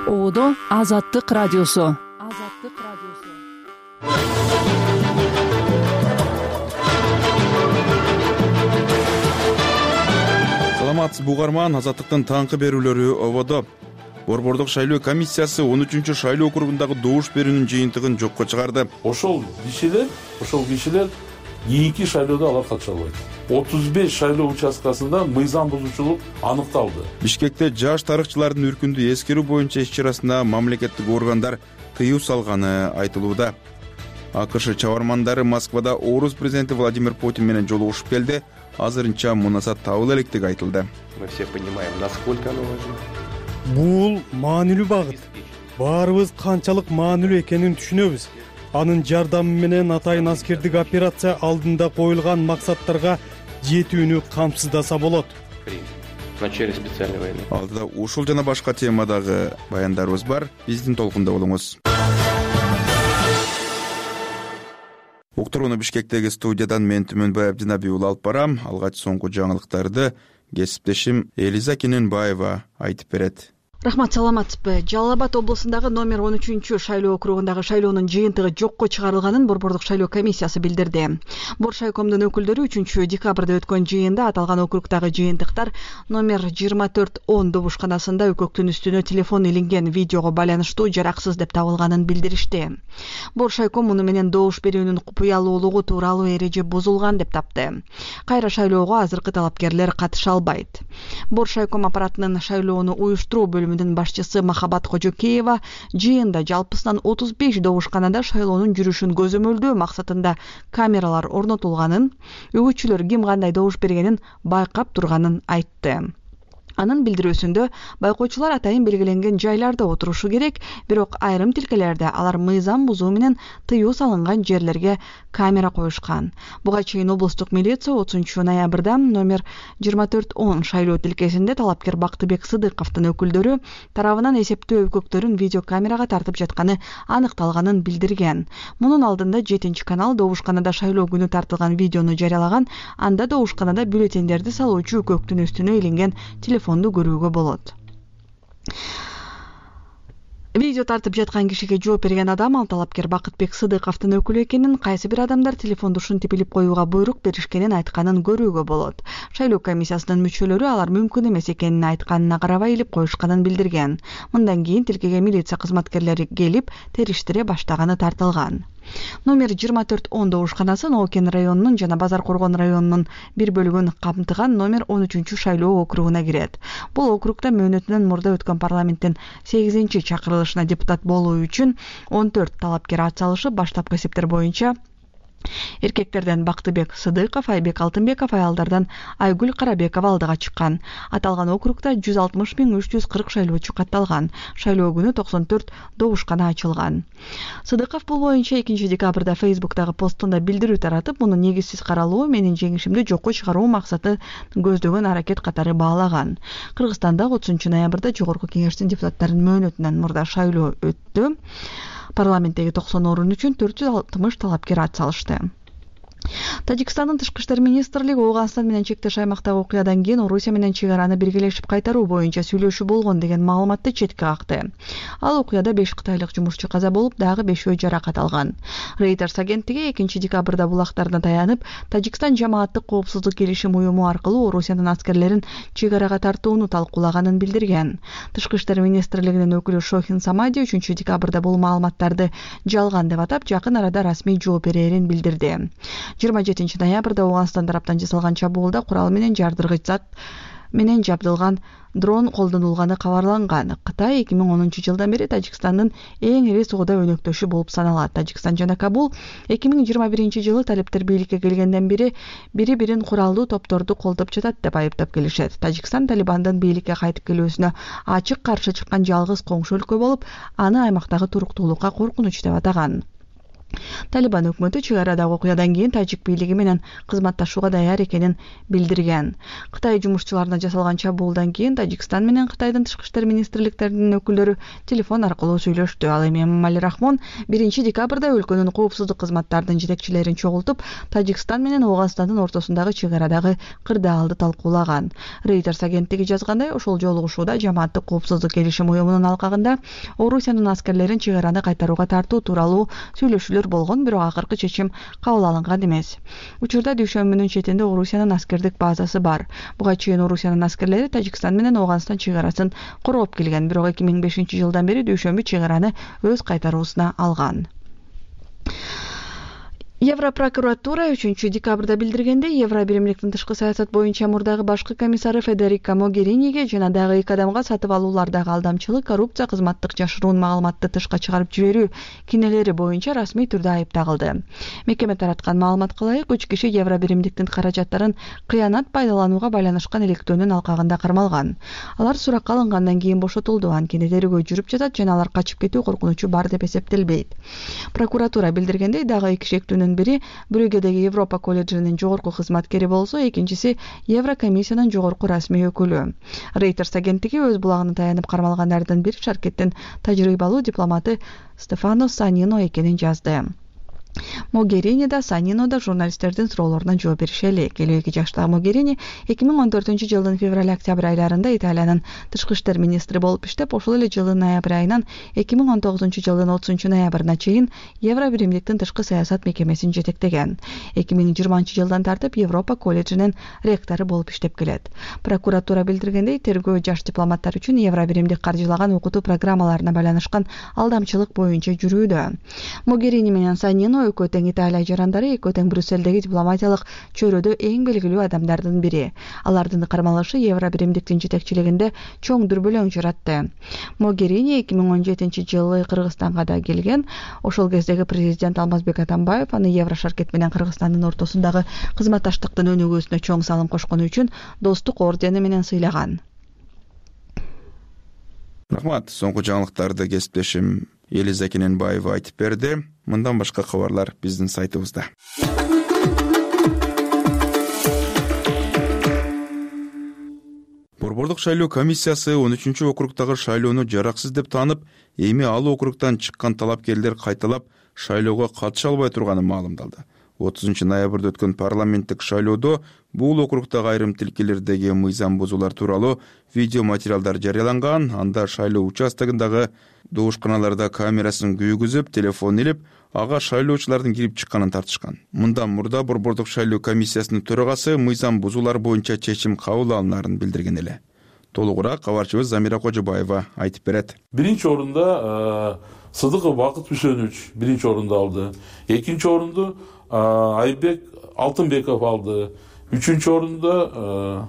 Оодо Азаттык радиосу. Саламатсыз бугарман, Азаттыктын таңкы берүүлөрү ободо. Борбордук шайлоо комиссиясы 13-чү шайлоо округундагы добуш берүүнүн жыйынтыгын жокко чыгарды. Ошол кишилер кийинки шайлоодо алар катыша албайт. 35 шайлоо участкасында мыйзам бузуучулук аныкталды. Бишкекте жаш тарыхчылардын үркүндү эскерүү боюнча иш-чарасына мамлекеттик органдар тыюу салганы айтылууда. АКШ чабармандары Москвада Орус президенти Владимир Путин менен жолугушуп келди. Азырынча мунасат табыла электиги айтылды. Мы все понимаем, насколько оно важно. Бул маанилүү багыт. Баарыбыз канчалык маанилүү экенин түшүнөбүз. Анын жардамы менен атайын аскердик операция алдында коюлган максаттарга жетүүнү камсыздаса болот. В начале специальной войны. Алдыда ушул жана башка темадагы баяндарыбыз бар. Биздин толкунда болуңуз. Уктурууну Бишкектеги студиядан мен Түмөнбай Абдинабий уулу алып барам. Алгач соңку жаңылыктарды кесиптешим Элиза Кененбаева айтып берет. Рахмат, саламатсызбы. Жалал Абад облусундагы номер 13-чү шайлоо округундагы шайлоонун жыйынтыгы жокко чыгарылганын Борбордук шайлоо комиссиясы билдирди. Боршайкомдун өкүлдөрү 3-декабрда өткөн жыйында аталган округдагы жыйынтыктар номер 2410 добушканасында өкөктүн үстүнө телефон илинген видеого байланыштуу жараксыз деп табылганын билдиришти. Боршайком муну менен добуш берүүнүн купуялуулугу тууралуу эреже бузулган деп тапты. Кайра шайлоого азыркы талапкерлер катыша албайт. Боршайком аппаратынын шайлоону уюштуруу бөлүмүнүн башчысы Махабат Кожокеева жыйында жалпысынан 35 добушканада шайлоонун жүрүшүн көзөмөлдөө максатында камералар орнотулганын, үгүтчүлөр ким кандай добуш бергенин байкап турганын айтты. Анын билдирүүсүндө байкоочулар атайын белгиленген жайларда отурушу керек, бирок айрым тилкелерде алар мыйзам бузуу менен тыюу салынган жерлерге камера коюшкан. Буга чейин облустук милиция 30-ноябрда номер 2410 шайлоо тилкесинде талапкер Бактыбек Сыдыковдун өкүлдөрү тарабынан эсептөө өкөктөрүн видеокамерага тартып жатканы аныкталганын билдирген. Мунун алдында 7-канал добушканада шайлоо күнү тартылган видеону жарыялаган, анда добушканада бюллетендерди салуучу өкөктүн үстүнө илинген телефонду көрүүгө болот. Видео тартып жаткан кишиге жооп берген адам ал талапкер Бакытбек Сыдыковдун өкүлү экенин, кайсы бир адамдар телефонду ушинтип илип коюуга буйрук беришкенин айтканын көрүүгө болот. Шайлоо комиссиясынын мүчөлөрү алар мүмкүн эмес экенин айтканына карабай илип коюшканын билдирген. Мындан кийин тилкеге милиция кызматкерлери келип териштире баштаганы тартылган. Номер 2410 добушканасы Ноокен районунун жана Базар Коргон районунун бир бөлүгүн камтыган номер 13-чү шайлоо округуна кирет. Бул округда мөөнөтүнөн мурда өткөн парламенттин 8-чакырылышына депутат болуу үчүн 14 талапкер ат салышып, баштапкы эсептер боюнча эркектерден Бактыбек Сыдыков, Айбек Алтынбеков, аялдардан Айгүл Карабекова алдыга чыккан. Аталган округда 160.340 шайлоочу катталган. Шайлоо күнү 94 добушкана ачылган. Сыдыков бул боюнча 2-декабрда Facebook'тагы постунда билдирүү таратып, муну негизсиз каралуу, менин жеңишимди жокко чыгаруу максаты көздөгөн аракет катары баалаган. Кыргызстанда 30-ноябрда Жогорку Кеңештин депутаттарынын мөөнөтүнөн мурда шайлоо өттү. Парламенттеги 90 орун үчүн 460 талапкер ат салышты. Тажикстандын тышкы иштер министрлиги Ооганстан менен чектеш аймактагы окуядан кийин Орусия менен чек араны биргелешип кайтаруу боюнча сүйлөшүү болгон деген маалыматты четке какты. Ал окуяда 5 кытайлык жумушчу каза болуп, дагы 5 жаракат алган. Reuters агенттиги 2-декабрда булактарына таянып, Тажикстан жамааттык коопсуздук келишим уюму аркылуу Орусиянын аскерлерин чек арага тартууну талкуулаганын билдирген. Тышкы иштер министрлигинин өкүлү Шохин Самади 3-декабрда бул маалыматтарды жалган деп атап, жакын арада расмий жооп берерин билдирди. 27-ноябрда Ооганстан тараптан жасалган чабуулда курал менен жардыргыч зат менен жабдылган дрон колдонулганы кабарланган. Кытай 2010-жылдан бери Тажикстандын эң ири соода өнөктөшү болуп саналат. Тажикстан жана Кабул 2021-жылы талептер бийликке келгенден бери бири-бирин куралдуу топторду колдоп жатат деп айыптап келишет. Тажикстан Талибандын бийликке кайтып келүүсүнө ачык каршы чыккан жалгыз коңшу өлкө болуп, аны аймактагы туруктуулукка коркунуч деп атаган. Талибан өкмөтү чек арадагы окуядан кийин тажик бийлиги менен кызматташууга даяр экенин билдирген. Кытай жумушчуларына жасалган чабуулдан кийин Тажикстан менен Кытайдын тышкы иштер министрликтеринин өкүлдөрү телефон аркылуу сүйлөштү. Ал эми Эмомали Рахмон 1 декабрда өлкөнүн коопсуздук кызматтарынын жетекчилерин чогултуп, Тажикстан менен Ооганстандын ортосундагы чек арадагы кырдаалды талкуулаган. Reuters агенттиги жазгандай, ошол жолугушууда жамааттык коопсуздук келишим уюмунун алкагында Орусиянын аскерлерин чек араны кайтарууга тартуу тууралуу сүйлөшүүлөр болгон, бирок акыркы чечим кабыл алынган эмес. Учурда дүйшөмбүнүн четинде Орусиянын аскердик базасы бар. Буга чейин Орусиянын аскерлери Тажикстан менен Ооганстан чек арасын короп келген, бирок 2005-жылдан бери дүйшөмбү чек араны өз кайтаруусуна алган. Европрокуратура 3 декабрда билдиргенде, Евро биримдиктин тышкы саясат боюнча мурдагы башкы комиссары Федерико Могериниге жана дагы 2 адамга сатып алуулардагы алдамчылык, коррупция, кызматтык жашыруун маалыматты тышка чыгарып жиберүү кинелери боюнча расмий түрдө айып тагылды. Мекеме тараткан маалыматка ылайык, 3 киши Евро биримдиктин каражаттарын кыянат пайдаланууга байланышкан иликтөөнүн алкагында кармалган. Алар суракка алынгандан кийин бошотулду, анткени тергөө жүрүп жатат жана алар качып кетүү коркунучу бар деп эсептелбейт. Прокуратура билдиргендей, дагы 2 шектүүнүн бири Брюгедеги Европа колледжинин жогорку кызматкери болсо, экинчиси Еврокомиссиянын жогорку расмий өкүлү. Reuters агенттиги өз булагына таянып кармалгандардын бири Шаркеттин тажрыйбалуу дипломаты Стефано Санино экенин жазды. Могерини да Санино да журналисттердин суроолоруна жооп беришели. 52 жаштагы Могерини 2014-жылдын февраль-октябрь айларында Италиянын тышкы иштер министри болуп иштеп, ошол эле жылдын ноябрь айынан 2019-жылдын 30-ноябрына чейин Евро биримдиктин тышкы саясат мекемесин жетектеген. 2020-жылдан тартып Европа колледжинин ректору болуп иштеп келет. Прокуратура билдиргендей, тергөө жаш дипломаттар үчүн Евро биримдик каржылаган окутуу программаларына байланышкан алдамчылык боюнча жүрүүдө. Могерини менен Санино экөө тең Италия жарандары, экөө тең Брюссельдеги дипломатиялык чөйрөдө эң белгилүү адамдардын бири. Алардын кармалышы Евро биримдиктин жетекчилигинде чоң дүрбөлөң жаратты. Могерини 2017-жылы Кыргызстанга да келген. Ошол кездеги президент Алмазбек Атамбаев аны Евро Шаркет менен Кыргызстандын ортосундагы кызматташтыктын өнүгүүсүнө чоң салым кошкону үчүн достук ордени менен сыйлаган. Рахмат. Соңку жаңылыктарды кесиптешим Элиза Кененбаева айтып берди. Мындан башка кабарлар биздин сайтыбызда. Борбордук шайлоо комиссиясы 13-округдагы шайлоону жараксыз деп таанып, эми ал округдан чыккан талапкерлер кайталап шайлоого катыша албай турганын маалымдалды. 30-ноябрда өткөн парламенттик шайлоодо бул округдагы айрым тилкелердеги мыйзам бузуулар тууралуу видео материалдар жарыяланган. Анда шайлоо участогундагы добушканаларда камерасын күйгүзүп, телефон илип, ага шайлоочулардын кирип чыкканын тартышкан. Мындан мурда Борбордук шайлоо комиссиясынын төрагасы мыйзам бузуулар боюнча чечим кабыл алынаарын билдирген эле. Толугураак кабарчыбыз Замира Кожобаева айтып берет. Биринчи орунда Сыдыков Бакыт Мүсөнович биринчи орунду алды. Экинчи орунду Айбек Алтынбеков алды. Үчүнчү орунда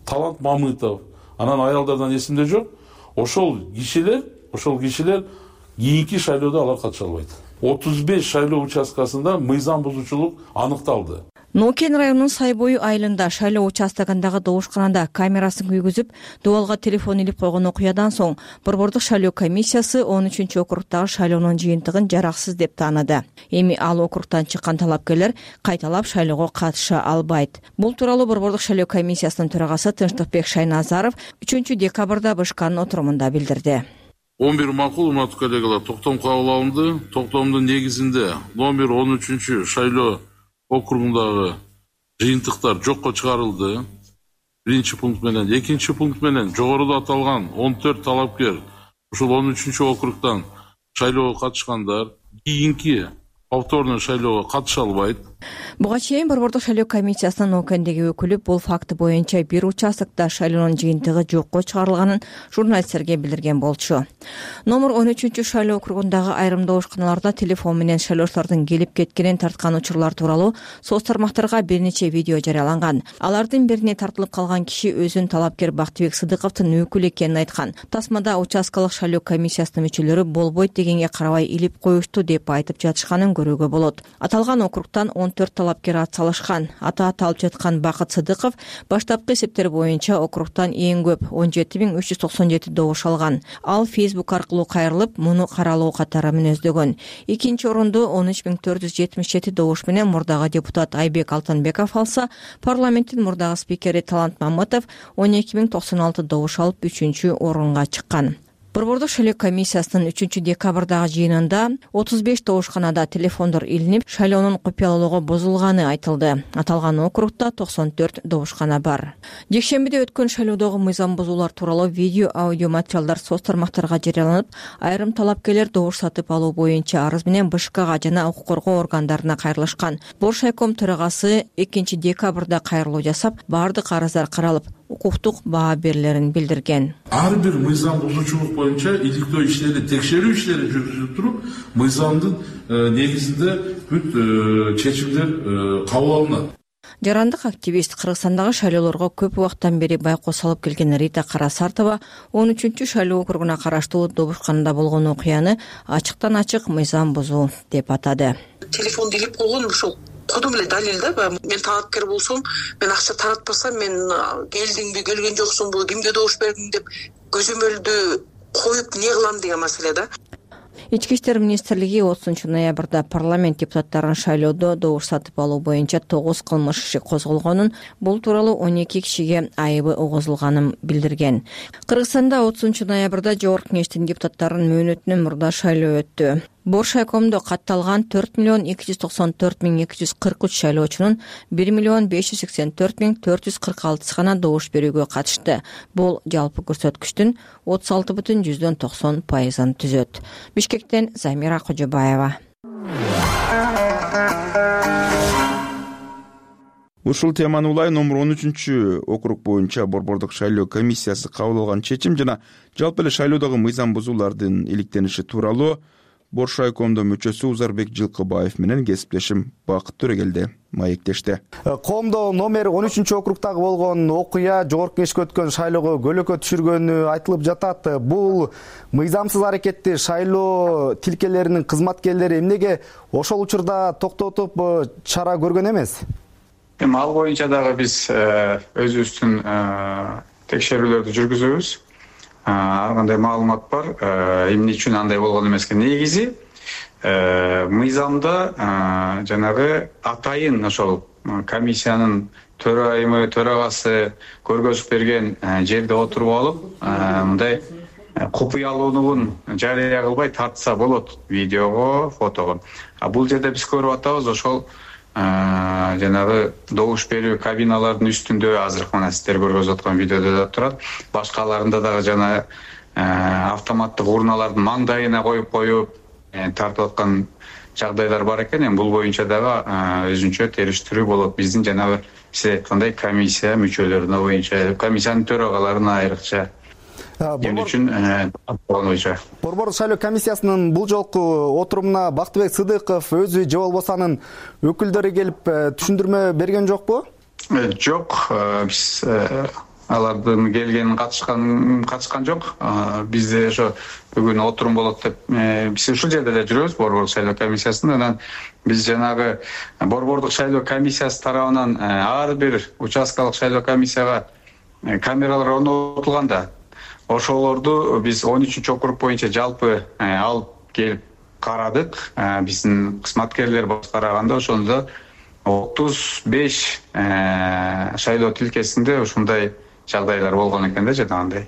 Талант Мамытов. Анан аялдардан эсимде жок. Ошол кишилер кийинки шайлоодо алар катыша албайт. 35 шайлоо участкасында мыйзам бузуучулук аныкталды. Нокен районунун Сайбой айылында шайлоо участогундагы добушканада камерасын күйгүзүп, дуалга телефон илип койгон окуядан соң Борбордук шайлоо комиссиясы 13-округдагы шайлоонун жыйынтыгын жараксыз деп тааныды. Эми ал округдан чыккан талапкерлер кайталап шайлоого катыша албайт. Бул тууралуу Борбордук шайлоо комиссиясынын төрагасы Тынчтыкбек Шайназаров 3 декабрда БШКнын отурумунда билдирди. 11 макул урматтуу коллегалар, токтом кабыл алынды. Токтомдун негизинде номер 13 шайлоо округундагы жыйынтыктар жокко чыгарылды. Биринчи пункт менен, экинчи пункт менен жогоруда аталган 14 талапкер ушул 13 округдан шайлоого катышкандар кийинки повторный шайлоого катыша албайт. Буга чейин Борбордук шайлоо комиссиясынын Нокендеги өкүлү бул факты боюнча бир участокто шайлоонун жыйынтыгы жокко чыгарылганын журналисттерге билдирген болчу. Номер 13 шайлоо округундагы айрым добушканаларда телефон менен шайлоочулардын келип кеткенин тарткан учурлар тууралуу соц тармактарга бир нече видео жарыяланган. Алардын бирине тартылып калган киши өзүн талапкер Бактыбек Сыдыковдун өкүлү экенин айткан. Тасмада участкалык шайлоо комиссиясынын мүчөлөрү болбойт дегенге карабай илип коюшту деп айтып жатышканын көрүүгө болот. Аталган округтан 14 талапкер атсалышкан. Аты аталып жаткан Бакыт Сыдыков баштапкы эсептер боюнча округтан эң көп 17397 добуш алган. Ал Facebook аркылуу кайрылып, муну каралуу катары мүнөздөгөн. Экинчи орунду 13477 добуш менен мурдагы депутат Айбек Алтынбеков алса, парламенттин мурдагы спикери Талант Мамытов 12096 добуш алып 3-чү орунга чыккан. Борбордук шайлоо комиссиясынын 3-декабрдагы жыйынында 35 добушканада телефондор илинип, шайлоонун купуялуулугу бузулганы айтылды. Аталган округда 94 добушкана бар. Жекшембиде өткөн шайлоодогу мыйзам бузуулар тууралуу видео, аудио материалдар соц тармактарга жарыяланып, айрым талапкерлер добуш сатып алуу боюнча арыз менен БШКга жана укук коргоо органдарына кайрылышкан. Боршайком төрагасы 2-декабрда кайрылуу жасап, бардык арыздар каралып, укуктук баа берилерин билдирген. Ар бир мыйзам бузуучулук боюнча иликтөө иштери, текшерүү иштери жүргүзүлүп туруп, мыйзамдын негизинде бүт чечимдер кабыл алынат. Жарандык активист Кыргызстандагы шайлоолорго көп убакыттан бери байкоос алып келген Рита Карасартова 13-чү шайлоо округуна караштуу добушканада болгон окуяны ачыктан ачык мыйзам бузуу деп атады. Телефонду илип койгон ушул кодум эле далил да. Мен талапкер болсом, мен акча таратпасам, мен келдиңби, келген жоксуңбу, кимге добуш бердиң деп көзөмөлдү коюп не кылам деген маселе да. Ички иштер министрлиги 30-ноябрда парламент депутаттарын шайлоодо добуш сатып алуу боюнча 9 кылмыш иши козголгонун, бул тууралуу 12 кишиге айыбы угузулганын билдирген. Кыргызстанда 30-ноябрда Жогорку Кеңештин депутаттарынын мөөнөтүнөн мурда шайлоо өттү. Боршайкомдо катталган 4.294.243 шайлоочунун 1.584.446 гана добуш берүүгө катышты. Бул жалпы көрсөткүчтүн 36,90% түзөт. Бишкектен Замира Кожобаева. Ушул теманы улай номер 13 округ боюнча борбордук шайлоо комиссиясы кабыл алган чечим жана жалпы эле шайлоодогу мыйзам бузуулардын иликтениши тууралуу Боршайкомдо мүчөсү Узарбек Жылкыбаев менен кесиптешим Бакыт Төрөгелди маектешти. Коомдо номер 13 округдагы болгон окуя Жогорку Кеңешке өткөн шайлоого көлөкө түшүргөнү айтылып жатат. Бул мыйзамсыз аракетти шайлоо тилкелеринин кызматкерлери эмнеге ошол учурда токтотуп чара көргөн эмес? Ал боюнча дагы биз өзүбүздүн текшерүүлөрдү жүргүзөбүз. Ар кандай маалымат бар, эмне үчүн андай болгон эмеске. Негизи мыйзамда жанагы атайын ошол комиссиянын төрагасы көргөзүп берген жерде отуруп алып, мындай купуялуулугун жарыя кылбай тартса болот видеого, фотого. Бул жерде биз көрүп атабыз, ошол жанагы добуш берүү кабиналардын үстүндө азыркы мына сиздер көргөзүп аткан видеодо да турат. Башкаларында дагы жана автоматтык урналардын маңдайына коюп тартып аткан жагдайлар бар экен. Бул боюнча дагы өзүнчө териштирүү болот. Биздин жанагы сиз айткандай комиссия мүчөлөрүнө боюнча, комиссиянын төрагаларына айрыкча Борбордук шайлоо комиссиясынын бул жолку отурумуна Бактыбек Сыдыков өзү же болбосо анын өкүлдөрү келип түшүндүрмө берген жокпу? Жок, биз алардын келгенин катышкан жок. Бизде ошо бүгүн отурум болот деп биз ушул жерде эле жүрөбүз борбордук шайлоо комиссиясында. Анан биз жанагы борбордук шайлоо комиссиясы тарабынан ар бир участкалык шайлоо комиссияга камералар орнотулганда ошолорду биз 13 округ боюнча жалпы алып келип карадык. Биздин кызматкерлер караганда ошондо 35 шайлоо тилкесинде ушундай жагдайлар болгон экен да жанагындай.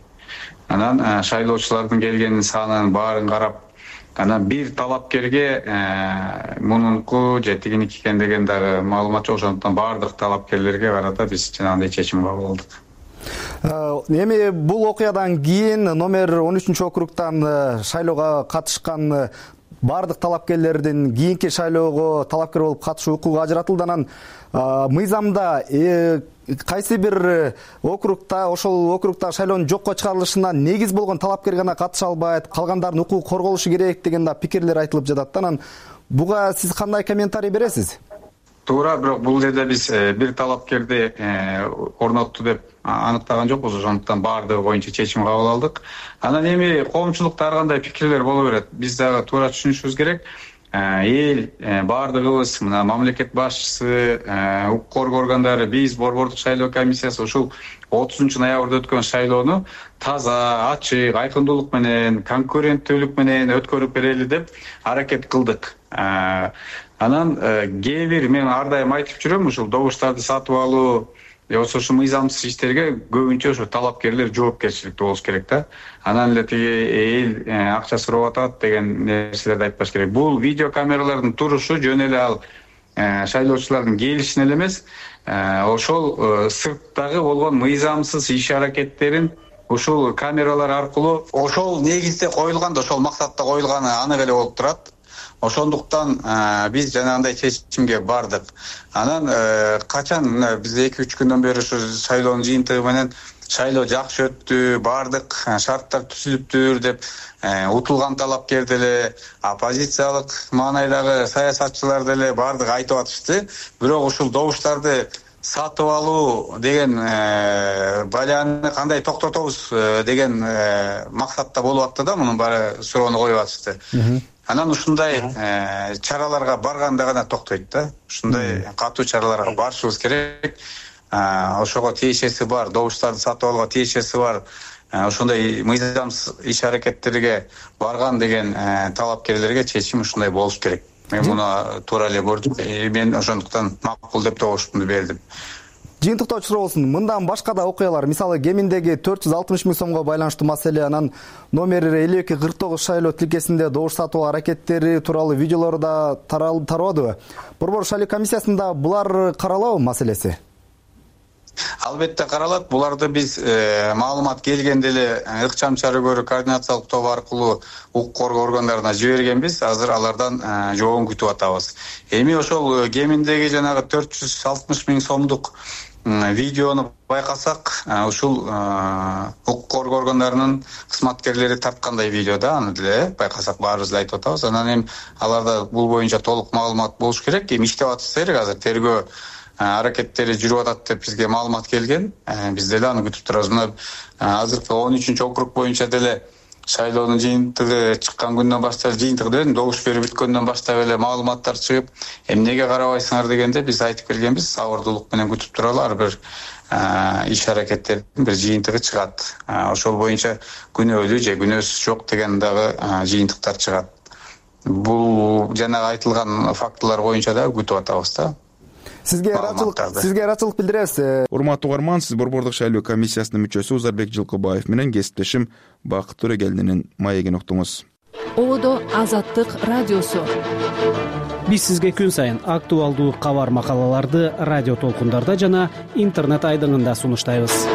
Анан шайлоочулардын келгенин санын баарын карап, анан бир талапкерге мунунку же тигиники экен деген дагы маалымат жок. Ошондуктан баардык талапкерлерге карата биз жанагындай чечим кабыл алдык. Эми бул окуядан кийин номер 13 округтан шайлоого катышкан баардык талапкерлердин кийинки шайлоого талапкер болуп катышуу укугу ажыратылды. Анан мыйзамда кайсы бир округда, ошол округда шайлоонун жокко чыгарылышына негиз болгон талапкер гана катыша албайт, калгандардын укугу корголушу керек деген да пикирлер айтылып жатат. Анан буга сиз кандай комментарий бересиз? Туура, бирок бул жерде биз бир талапкерди орнотту деп аныктаган жокпуз. Ошондуктан баардыгы боюнча чечим кабыл алдык. Анан эми коомчулукта ар кандай пикирлер боло берет. Биз дагы туура түшүнүшүбүз керек. эл баардыгыбыз мына мамлекет башчысы, укук коргоо органдары, биз борбордук шайлоо комиссиясы ушул 30 ноябрда өткөн шайлоону таза, ачык, айкындуулук менен, конкуренттүүлүк менен өткөрүп берели деп аракет кылдык. Анан кээ бир мен ар дайым айтып жүрөм, ушул добуштарды сатып алуу, ошол мыйзамсыз иштерге көбүнчө ошо талапкерлер жоопкерчиликтүү болуш керек да. Анан эле тиги эл акча сурап атат деген нерселерди айтпаш керек. Бул видео камералардын турушу жөн эле ал шайлоочулардын келишине эле эмес, ошол сырттагы болгон мыйзамсыз иш аракеттерин ушул камералар аркылуу ошол негизде коюлган да, ошол максатта коюлганы анык эле болуп турат. Ошондуктан биз жанагындай чечимге бардык. Анан качан биз 2-3 күндөн бери ушу шайлоонун жыйынтыгы менен шайлоо жакшы өттү, бардык шарттар түзүлүптүр деп утулган талапкер деле, оппозициялык маанайдагы саясатчылар деле бардык айтып атышты. Бирок ушул добуштарды сатып алуу деген баляны кандай токтотобуз деген максатта болуп атты да, мунун баары суроону коюп атышты. Анан ушундай чараларга барганда гана токтойт да. Ушундай катуу чараларга барышыбыз керек. Ошого тиешеси бар, добуштарды сатып алууга тиешеси бар. Ошондой мыйзамсыз иш аракеттерге барган деген талапкерлерге чечим ушундай болуш керек. Мен муну туура эле көрдүм. Мен ошондуктан макул деп добуштумду бердим. Жыйынтыктоочу болсун. Мындан башка да окуялар, мисалы кеминдеги 460 000 сомго байланыштуу маселе, анан номер 5249 шайлоо тилкесинде добуш сатуу аракеттери тууралуу видеолор да тарабадыбы? Борбор шайлоо комиссиясында булар каралабы маселеси? Албетте каралат. Буларды биз маалымат келгенде эле ыкчам чара көрүү координациялык тобу аркылуу укук коргоо органдарына жибергенбиз. Азыр алардан жообун күтүп атабыз. Эми ошол кеминдеги жанагы 460 000 сомдук видеону байкасак, ушул укук коргоо органдарынын кызматкерлери тарткандай видео да, аны деле байкасак баарыбыз эле айтып атабыз. Анан эми аларда бул боюнча толук маалымат болуш керек. Эми иштеп атышат, азыр тергөө аракеттери жүрүп атат деп бизге маалымат келген. Биз деле аны күтүп турабыз. Мына азыркы 13-округ боюнча деле шайлоонун жыйынтыгы чыккан күндөн баштап, жыйынтыгы деле добуш берүү бүткөндөн баштап эле маалыматтар чыгып, эмнеге карабайсыңар дегенде биз айтып келгенбиз, сабырдуулук менен күтүп туралы, ар бир иш аракеттердин бир жыйынтыгы чыгат. Ошол боюнча күнөөлүү же күнөөсүз жок деген дагы жыйынтыктар чыгат. Бул жанагы айтылган фактылар боюнча да күтүп атабыз да. Сизге ыраачылык билдиребиз. Урматтуу угарман, сиз борбордук шайлоо комиссиясынын мүчөсү Узарбек Жылкыбаев менен кесиптешим Бакыт Төрегелдинин маегин уктуңуз. Ободо Азаттык радиосу. Биз сизге күн сайын актуалдуу кабар макалаларды радио толкундарда жана интернет айдыңында сунуштайбыз.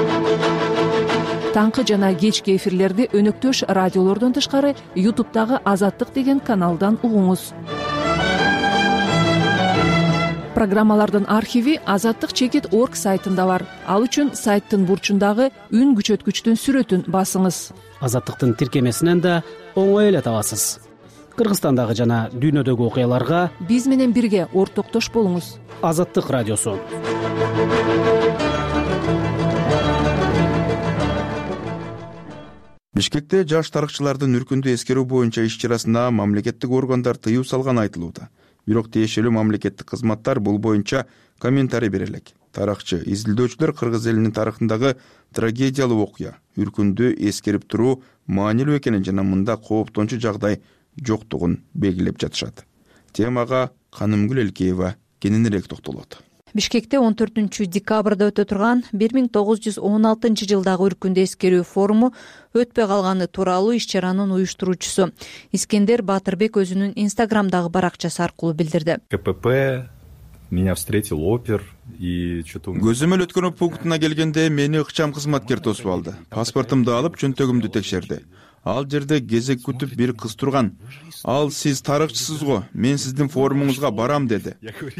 Таңкы жана кечки эфирлерди өнөктөш радиолордон тышкары YouTube'дагы Азаттык деген каналдан угуңуз. Программалардын архиви azattik.org сайтында бар. Ал үчүн сайттын бурчундагы үн күчөткүчтүн сүрөтүн басыңыз. Азаттыктын тиркемесинен да оңой эле табасыз. Кыргызстандагы жана дүйнөдөгү окуяларга биз менен бирге ортоктош болуңуз. Азаттык радиосу. Бишкекте жаш тарыхчылардын үркүндү эскерүү боюнча иш-чарасына мамлекеттик органдар тыюу салганы айтылууда. Бирок тиешелүү мамлекеттик кызматтар бул боюнча комментарий бере элек. Тарыхчы, изилдөөчүлөр кыргыз элинин тарыхындагы трагедиялуу окуя, үркүндү эскерип туруу маанилүү экенин жана мында кооптончу жагдай жоктугун белгилеп жатышат. Темага Канымгүл Элкеева кененирээк токтолот. Бишкекте 14-декабрда өтө турган 1916-жылдагы үркүндү эскерүү форуму өтпөй калганы тууралуу иш-чаранын уюштуруучусу Искендер Батырбек өзүнүн Инстаграмдагы баракчасы аркылуу билдирди. КПП меня встретил опер и что-то... Көзөмөл өткөрүү пунктуна келгенде мени ыкчам кызматкер тосуп алды. Паспортумду алып, чөнтөгүмдү текшерди. Ал жерде кезек күтүп бир кыз турган. Ал сиз тарыхчысыз го, мен сиздин форумуңузга барам деди.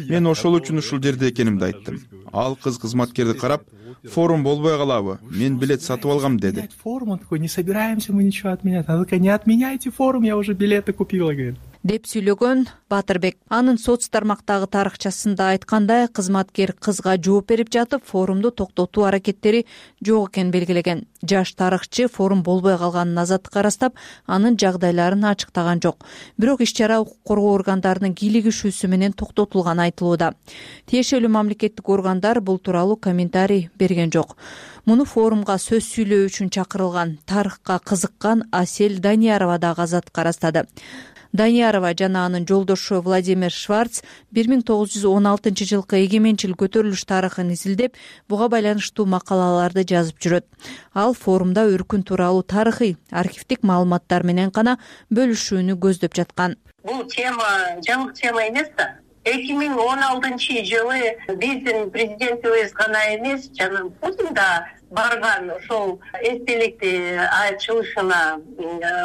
Мен ошол үчүн ушул жерде экенимди айттым. Ал кыз кызматкерди карап, форум болбой калабы, мен билет сатып алгам деди. Форум, он такой, не собираемся мы ничего отменять. Она такая, не отменяйте форум, я уже билеты купила, говорит. деп сүйлөгөн Батырбек. Анын соц тармактагы тарыхчасында айткандай, кызматкер кызга жооп берип жатып, форумду токтотуу аракеттери жок экенин белгилеген. Жаш тарыхчы форум болбой калганын азаттыкка ырастап, анын жагдайларын ачыктаган жок. Бирок иш-чара укук коргоо органдарынын кийлигишүүсү менен токтотулганы айтылууда. Тиешелүү мамлекеттик органдар бул тууралуу комментарий берген жок. Муну форумга сөз сүйлөө үчүн чакырылган тарыхка кызыккан Асель Даниярова дагы азаттыкка ырастады. Даниярова жана анын жолдошу Владимир Шварц 1916 жылкы эгеменчил көтөрүлүш тарыхын изилдеп, буга байланыштуу макалаларды жазып жүрөт. Ал форумда өркүн тууралуу тарыхый, архивдик маалыматтар менен гана бөлүшүүнү көздөп жаткан. Бул тема жаңы тема эмес да. 2016 жылы биздин президентибиз гана эмес, жана Путин да барган ошол эстеликти ачылышына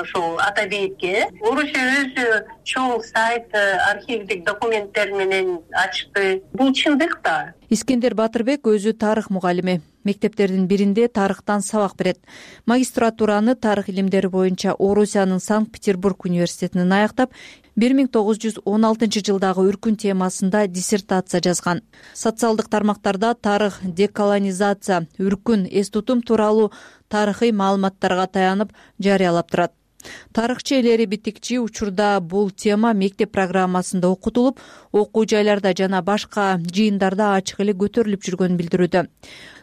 ошол ата бейитке Орусия өзү чоң сайт архивдик документтер менен ачты. Бул чындык да. Искендер Батырбек өзү тарых мугалими. Мектептердин биринде тарыхтан сабак берет. Магистратураны тарых илимдери боюнча Орусиянын Санкт-Петербург университетинен аяктап, 1916 жылдагы өркүн темасында диссертация жазган. Социалдык тармактарда тарых, деколонизация, өркүн, эс тутум тууралуу тарыхый маалыматтарга таянып жарыялап турат. Тарыхчы элери битикчи учурда бул тема мектеп программасында окутулуп, окуу жайларда жана башка жыйындарда ачык эле көтөрүлүп жүргөнүн билдирүүдө.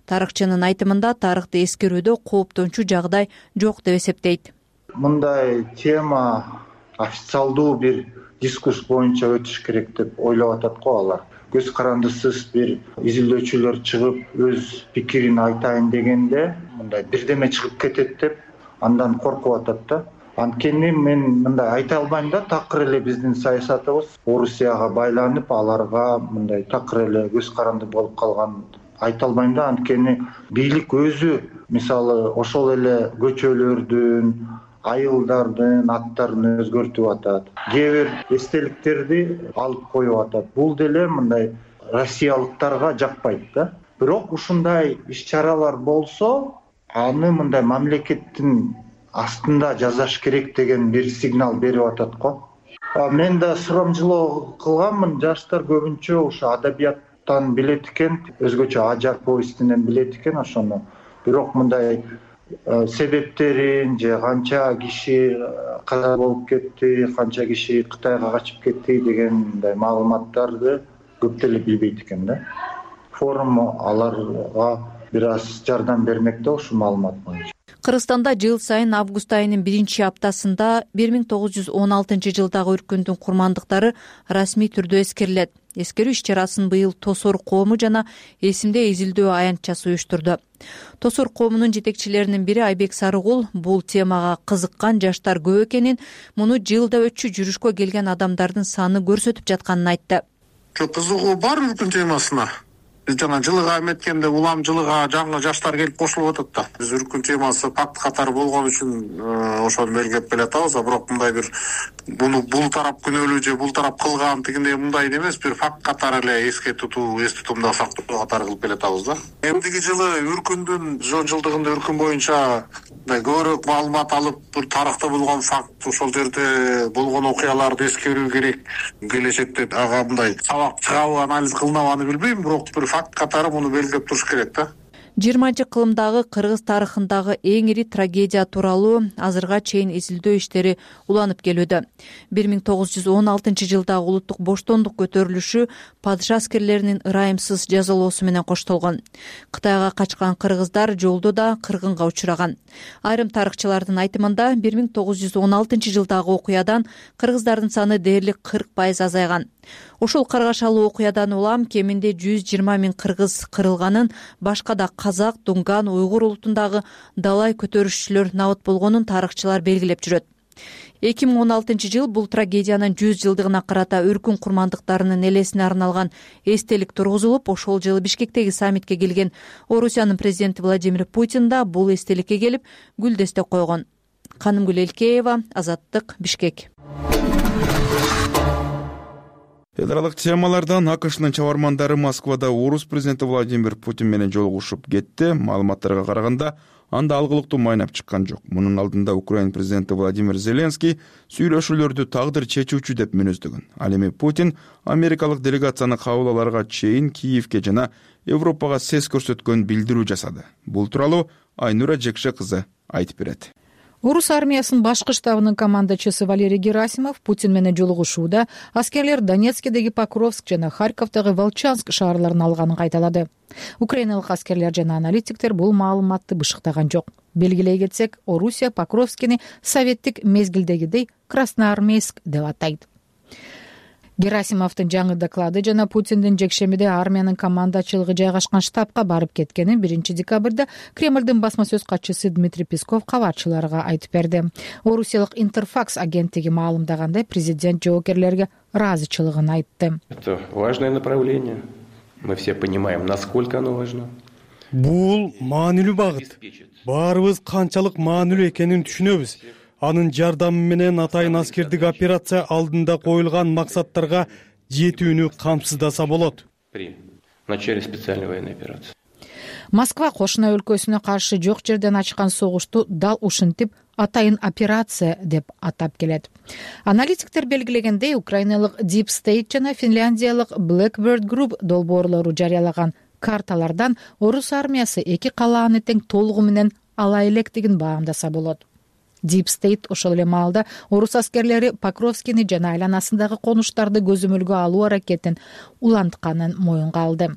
Тарыхчынын айтымында тарыхты эскерүүдө кооптончу жагдай жок деп эсептейт. Мындай тема официалдуу бир дискурс боюнча өтүш керек деп ойлоп атат го алар. Көз карандысыз бир изилдөөчүлөр чыгып өз пикирин айтайын дегенде мындай бирдеме чыгып кетет деп андан коркуп атат да. Анткени мен мындай айта албайм да, такыр эле биздин саясатыбыз Орусияга байланып, аларга мындай такыр эле көз каранды болуп калган айта албайм да. Анткени бийлик өзү мисалы ошол эле көчөлөрдүн, айылдардын аттарын өзгөртүп атат. Кээ бир эстеликтерди алып коюп атат. Бул деле мындай россиялыктарга жакпайт да. Бирок ушундай иш-чаралар болсо, аны мындай мамлекеттин астында жазаш керек деген бир сигнал берип атат го. Мен да сурамжылоо кылганмын. Жаштар көбүнчө ушу адабияттан билет экен, өзгөчө ажар повестинен билет экен ошону. Бирок мындай себептерин же канча киши каза болуп кетти, канча киши Кытайга качып кетти деген мындай маалыматтарды көп деле билбейт экен да. Форум аларга бир аз жардам бермек да ушул маалымат боюнча. Кыргызстанда жыл сайын август айынын 1-аптасында 1916 жылдагы өркүндүн курмандыктары расмий түрдө эскерилет. Эскерүү иш-чарасын быйыл Тосор коому жана эсимде изилдөө аянтчасы уюштурду. Тосор коомунун жетекчилеринин бири Айбек Сарыгул бул темага кызыккан жаштар көп экенин, муну жылда өтчү жүрүшкө келген адамдардын саны көрсөтүп жатканын айтты. Кызыгуу бар өркүн темасына. Биз жана жылыга эметкенде улам жылыга жаңы жаштар келип кошулуп атат да. Биз өркүн темасы факт катары болгон үчүн ошону белгилеп келе атабыз, бирок мындай бир бул тарап күнөөлүү же бул тарап кылган тигиндей мындай эмес, бир факт катары эле эс тутумда сактоо катары кылып келе атабыз да. Эмдиги жылы өркүндүн 100 жылдыгында өркүн боюнча көбүрөөк маалымат алып, бир тарыхта болгон факт, ошол жерде болгон окуяларды эскерүү керек. Келечекте ага мындай сабак чыгабы, анализ кылынабы билбейм, бирок бир факт катары муну белгилеп туруш керек да. 20-кылымдагы кыргыз тарыхындагы эң ири трагедия тууралуу азырга чейин изилдөө иштери уланып келүүдө. 1916 жылдагы улуттук боштондук көтөрүлүшү падыша аскерлеринин ырайымсыз жазалоосу менен коштолгон. Кытайга качкан кыргыздар жолдо да кыргынга учураган. Айрым тарыхчылардын айтымында 1916 жылдагы окуядан кыргыздардын саны дээрлик 40% азайган. Ошол каргашалуу окуядан улам кеминде 120 000 кыргыз кырылганын, башка да казак, дунган, уйгур улутундагы далай көтөрүшчүлөр набыт болгонун тарыхчылар белгилеп жүрөт. 2016 жыл бул трагедиянын 100 жылдыгына карата өркүн курмандыктарынын элесине арналган эстелик тургузулуп, ошол жылы Бишкектеги саммитке келген Орусиянын президенти Владимир Путин да бул эстеликке келип гүлдестек койгон. Канымгүл Элкеева, Азаттык, Бишкек. Эл аралык темалардан АКШнын чабармандары Москвада Орус президенти Владимир Путин менен жолугушуп кетти. Маалыматтарга караганда, анда алгылыктуу майнап чыккан жок. Мунун алдында Украина президенти Владимир Зеленский сүйлөшүүлөрдү тагдыр чечүүчү деп мүнөздөгөн. Ал эми Путин америкалык делегацияны кабыл аларга чейин Киевке жана Европага сес көрсөткөн билдирүү жасады. Бул тууралуу Айнура Жекше кызы айтып берет. Орус армиясынын башкы штабынын командачысы Валерий Герасимов Путин менен жолугушууда аскерлер Донецкдеги Покровск жана Харьковдогу Волчанск шаарларын алганын кайталады. Украиналык аскерлер жана аналитиктер бул маалыматты бышыктаган жок. Белгилей кетсек, Орусия Покровскини советтик мезгилдегидей Красноармейск деп атайт. Герасимовдун жаңы доклады жана Путиндин жекшемиде армиянын командачылыгы жайгашкан штабка барып кеткенин 1 декабрда Кремлдин басма сөз катчысы Дмитрий Песков кабарчыларга айтып берди. Орусиялык Интерфакс агенттиги маалымдагандай, президент жоокерлерге ыраазычылыгын айтты. Это важное направление. Мы все понимаем, насколько оно важно. Бул маанилүү багыт. Баарыбыз канчалык маанилүү экенин түшүнөбүз. Анын жардамы менен атайын аскердик операция алдында коюлган максаттарга жетүүнү камсыздаса болот. При начале специальной военной операции. Москва кошуна өлкөсүнө каршы жок жерден ачкан согушту дал ушинтип атайын операция деп атап келет. Аналитиктер белгилегендей, украиналык Deep State жана финляндиялык Blackbird Group долбоорлору жарыялаган карталардан орус армиясы эки калааны тең толугу менен ала электигин баамдаса болот. Deep State ошол эле маалда орус аскерлери Покровскини жана айланасындагы конуштарды көзөмөлгө алуу аракетин улантканын моюнга алды.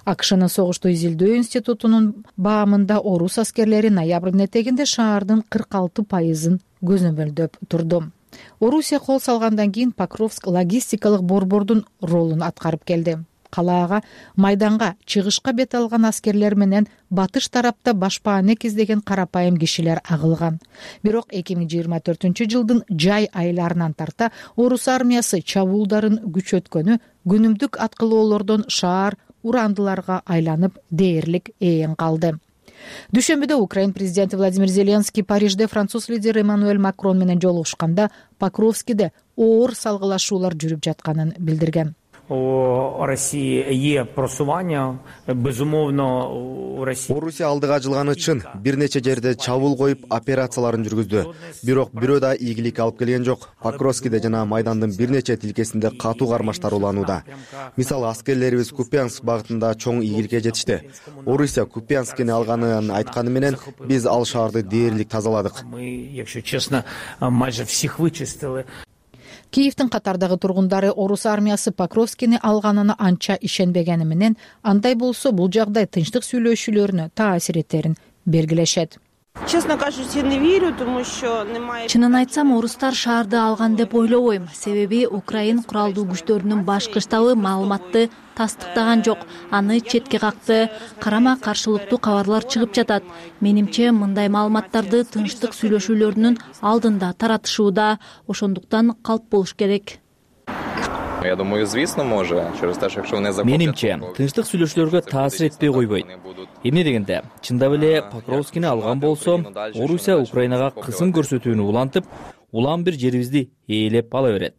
АКШнын согушту изилдөө институтунун баамында орус аскерлери ноябрдын этегинде шаардын 46% көзөмөлдөп турду. Орусия кол салгандан кийин Покровск логистикалык борбордун ролун аткарып келди. Калаага майданга чыгышка бет алган аскерлер менен батыш тарапта башпаанек издеген карапайым кишилер агылган. Бирок 2024-жылдын жай айларынан тарта орус армиясы чабуулдарын күчөткөнү күнүмдүк аткылоолордон шаар урандыларга айланып дээрлик ээн калды. Дүйшөмбүдө Украина президенти Владимир Зеленский Парижде француз лидери Эммануэль Макрон менен жолугушканда Покровскиде оор салгылашуулар жүрүп жатканын билдирген. У России є просування, безумовно, у России. Орусия алдыга жылганы чын, бир нече жерде чабуул коюп операцияларын жүргүздү. Бирок бирөө да ийгилик алып келген жок. Покровскиде жана майдандын бир нече тилкесинде катуу кармаштар уланууда. Мисалы, аскерлерибиз Купянск багытында чоң ийгиликке жетишти. Орусия Купянскини алганын айтканы менен биз ал шаарды дээрлик тазаладык. Мы, якщо честно, майже всех вычистили. Киевдин катардагы тургундары орус армиясы Покровскини алганына анча ишенбегени менен, андай болсо бул жагдай тынчтык сүйлөшүүлөрүнө таасир этерин белгилешет. Честно кажучи, не верю, тому что немає. Чынын айтсам, орустар шаарды алган деп ойлобойм. Себеби Украин куралдуу күчтөрүнүн башкы штабы маалыматты тастыктаган жок. Аны четке какты. Карама каршылыктуу кабарлар чыгып жатат. Менимче, мындай маалыматтарды тынчтык сүйлөшүүлөрүнүн алдында таратышууда. Ошондуктан калп болуш керек. Я думаю, звісно, може, через те, що якщо вони захоплять... Менимче, тынчтык сүйлөшүүлөргө таасир этпей койбойт. Эмне дегенде, чындап эле Покровскини алган болсо, Орусия Украинага кысым көрсөтүүнү улантып, улам бир жерибизди ээлеп ала берет.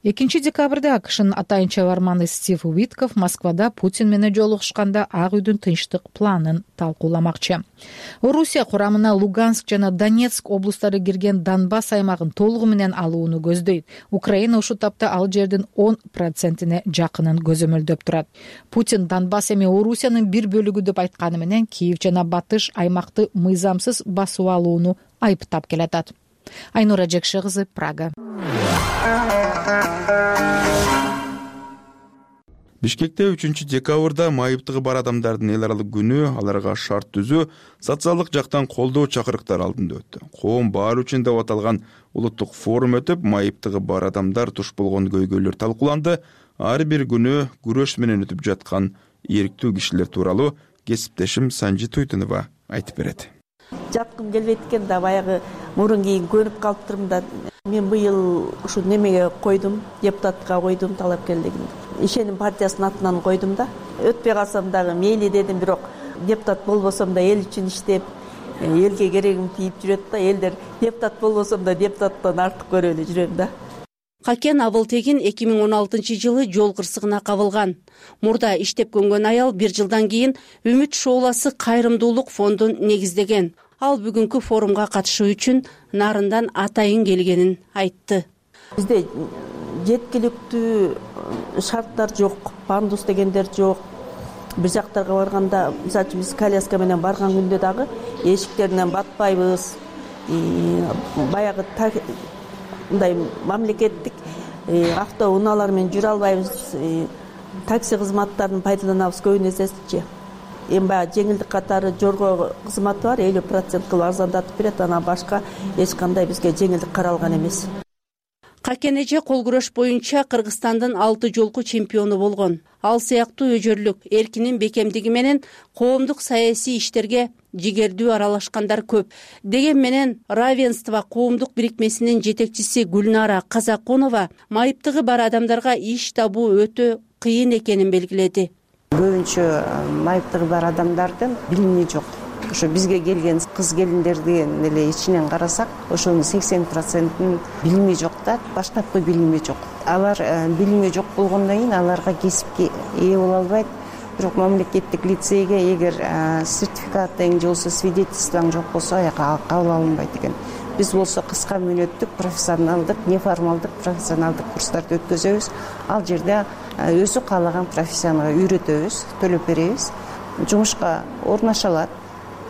2 декабрда АКШнын атайын чабарманы Стив Уитков Москвада Путин менен жолугушканда Ак үйдүн тынчтык планын талкууламакчы. Орусия курамына Луганск жана Донецк облустары кирген Донбасс аймагын толугу менен алууну көздөйт. Украина ушул тапта ал жердин 10%-ине жакынын көзөмөлдөп турат. Путин Донбасс эми Орусиянын бир бөлүгү деп айтканы менен Киев жана Батыш аймакты мыйзамсыз басып алууну айыптап келатат. Айнура Жекше кызы, Прага. Бишкекте 3 декабрда майыптыгы бар адамдардын эл аралык күнү, аларга шарт түзүү, социалдык жактан колдоо чакырыктар алдында өттү. Коом баары үчүн деп аталган улуттук форум өтүп, майыптыгы бар адамдар туш болгон көйгөйлөр талкууланды. Ар бир күнү күрөш менен өтүп жаткан ийриктүү кишилер тууралуу кесиптешим Санжи Туйтунова айтып берет. Жаткым келбейт экен да, баягы мурун кийин көнүп калыптырмын да. Мен быйыл ушу немеге койдум, депутатка койдум талапкерлигин. Ишеним партиясынын атынан койдум да. Өтпөй калсам дагы мейли дедим, бирок депутат болбосом да эл үчүн иштеп, элге керегим тийип жүрөт да. Элдер депутат болбосом да депутаттан артык көрүп эле жүрөм да. Какен Абылтегин 2016-жылы жол кырсыгына кабылган. Мурда иштеп көнгөн аял 1 жылдан кийин Үмүт шооласы кайрымдуулук фондун негиздеген. Ал бүгүнкү форумга катышуу үчүн Нарындан атайын келгенин айтты. Бизде жеткиликтүү шарттар жок, пандус дегендер жок. Бир жактарга барганда, мисалы үчүн биз коляска менен барган күндө дагы эшиктеринен батпайбыз. Баягы мындай мамлекеттик автоунаалар менен жүрө албайбыз. Такси кызматтарын пайдаланабыз көбүн эсечи. Эми баягы жеңилдик катары жорго кызматы бар, 50% кылып арзандатып берет, анан башка эч кандай бизге жеңилдик каралган эмес. Какен эже кол күрөш боюнча Кыргызстандын 6 жолку чемпиону болгон. Ал сыяктуу өжөрлүк, эркинин бекемдиги менен коомдук саясий иштерге жигердүү аралашкандар көп. Деген менен Равенство коомдук бирикмесинин жетекчиси Гүлнара Казаконова майыптыгы бар адамдарга иш табуу өтө кыйын экенин белгиледи. Көбүнчө майыптыгы бар адамдардын билими жок. Ошо бизге келген кыз келиндердин эле ичинен карасак, ошонун 80%-ын билими жок да, баштапкы билими жок. Алар билими жок болгондон кийин аларга кесипке ээ боло албайт. Бирок мамлекеттик лицейге эгер сертификатың же болбосо свидетельствоң жок болсо, аяка кабыл алынбайт экен. Биз болсо кыска мөөнөттүк профессионалдык, неформалдык профессионалдык курстарды өткөзөбүз. Ал жерде өзү каалаган профессияга үйрөтөбүз, төлөп беребиз. Жумушка орноша алат.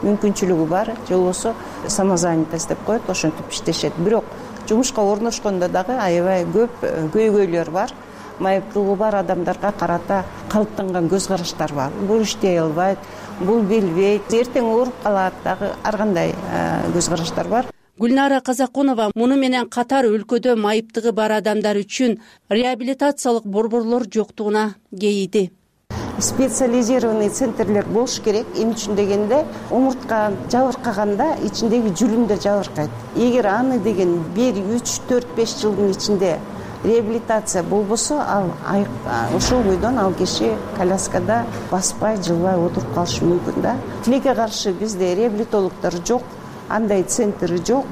Мүмкүнчүлүгү бар, же болбосо самозанятость деп коет, ошентип иштешет. Бирок жумушка орношкондо дагы аябай көп көйгөйлөр бар. Майыптыгы бар адамдарга карата калыптанган көз караштар бар. Бул иштей албайт, бул билбейт, эртең ооруп калат, дагы ар кандай көз караштар бар. Гүлнара Казаконова муну менен катар өлкөдө майыптыгы бар адамдар үчүн реабилитациялык борборлор жоктугуна кейиди. Специализированный центрлер болуш керек. Эмне үчүн дегенде, омуртка жабыркаганда ичиндеги жүлүндө жабыркайт. Эгер аны деген 1, 3, 4, 5 жылдын ичинде реабилитация болбосо, ал ошол бойдон ал киши коляскада баспай, жылбай отуруп калышы мүмкүн да. Тилекке каршы бизде реабилитологдор жок, андай центр жок.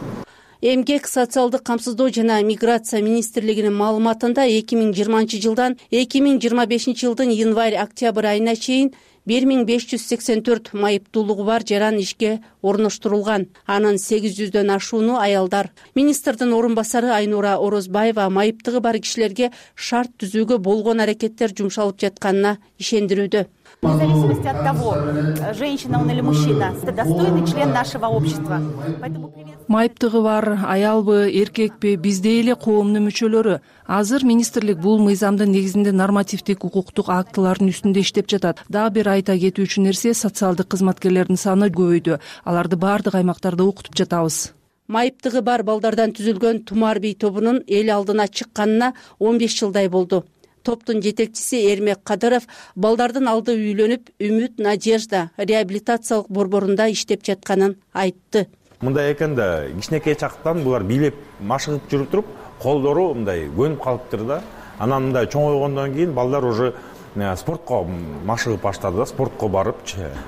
Эмгек, социалдык камсыздоо жана миграция министрлигинин маалыматында 2020 жылдан 2025 жылдын январь-октябрь айына чейин 1584 майыптуулугу бар жаран ишке орноштурулган. Анын 800дөн ашууну аялдар. Министрдин орун басары Айнура Орозбаева майыптыгы бар кишилерге шарт түзүүгө болгон аракеттер жумшалып жатканына ишендирүүдө. Вне зависимости от того, женщина он или мужчина, это достойный член нашего общества. Майыптыгы бар аялбы, эркекпи, бизде эле коомдун мүчөлөрү. Азыр министрлик бул мыйзамдын негизинде нормативдик укуктук актылардын үстүндө иштеп жатат. Дагы бир айта кетүүчү нерсе, социалдык кызматкерлердин саны көбөйдү. Аларды баардык аймактарда окутуп жатабыз. Майыптыгы бар балдардан түзүлгөн Тумар бий тобунун эл алдына чыкканына 15 жылдай болду. Топтун жетекчиси Эрмек Кадыров балдардын алды үйлөнүп, Үмүт Надежда реабилитациялык борборунда иштеп жатканын айтты. Мындай экен да, кичинекей чактан булар бийлеп, машыгып жүрүп туруп, колдору мындай көнүп калыптыр да. Анан мындай чоңойгондон кийин балдар уже спортко машыгып баштады да, спортко барып,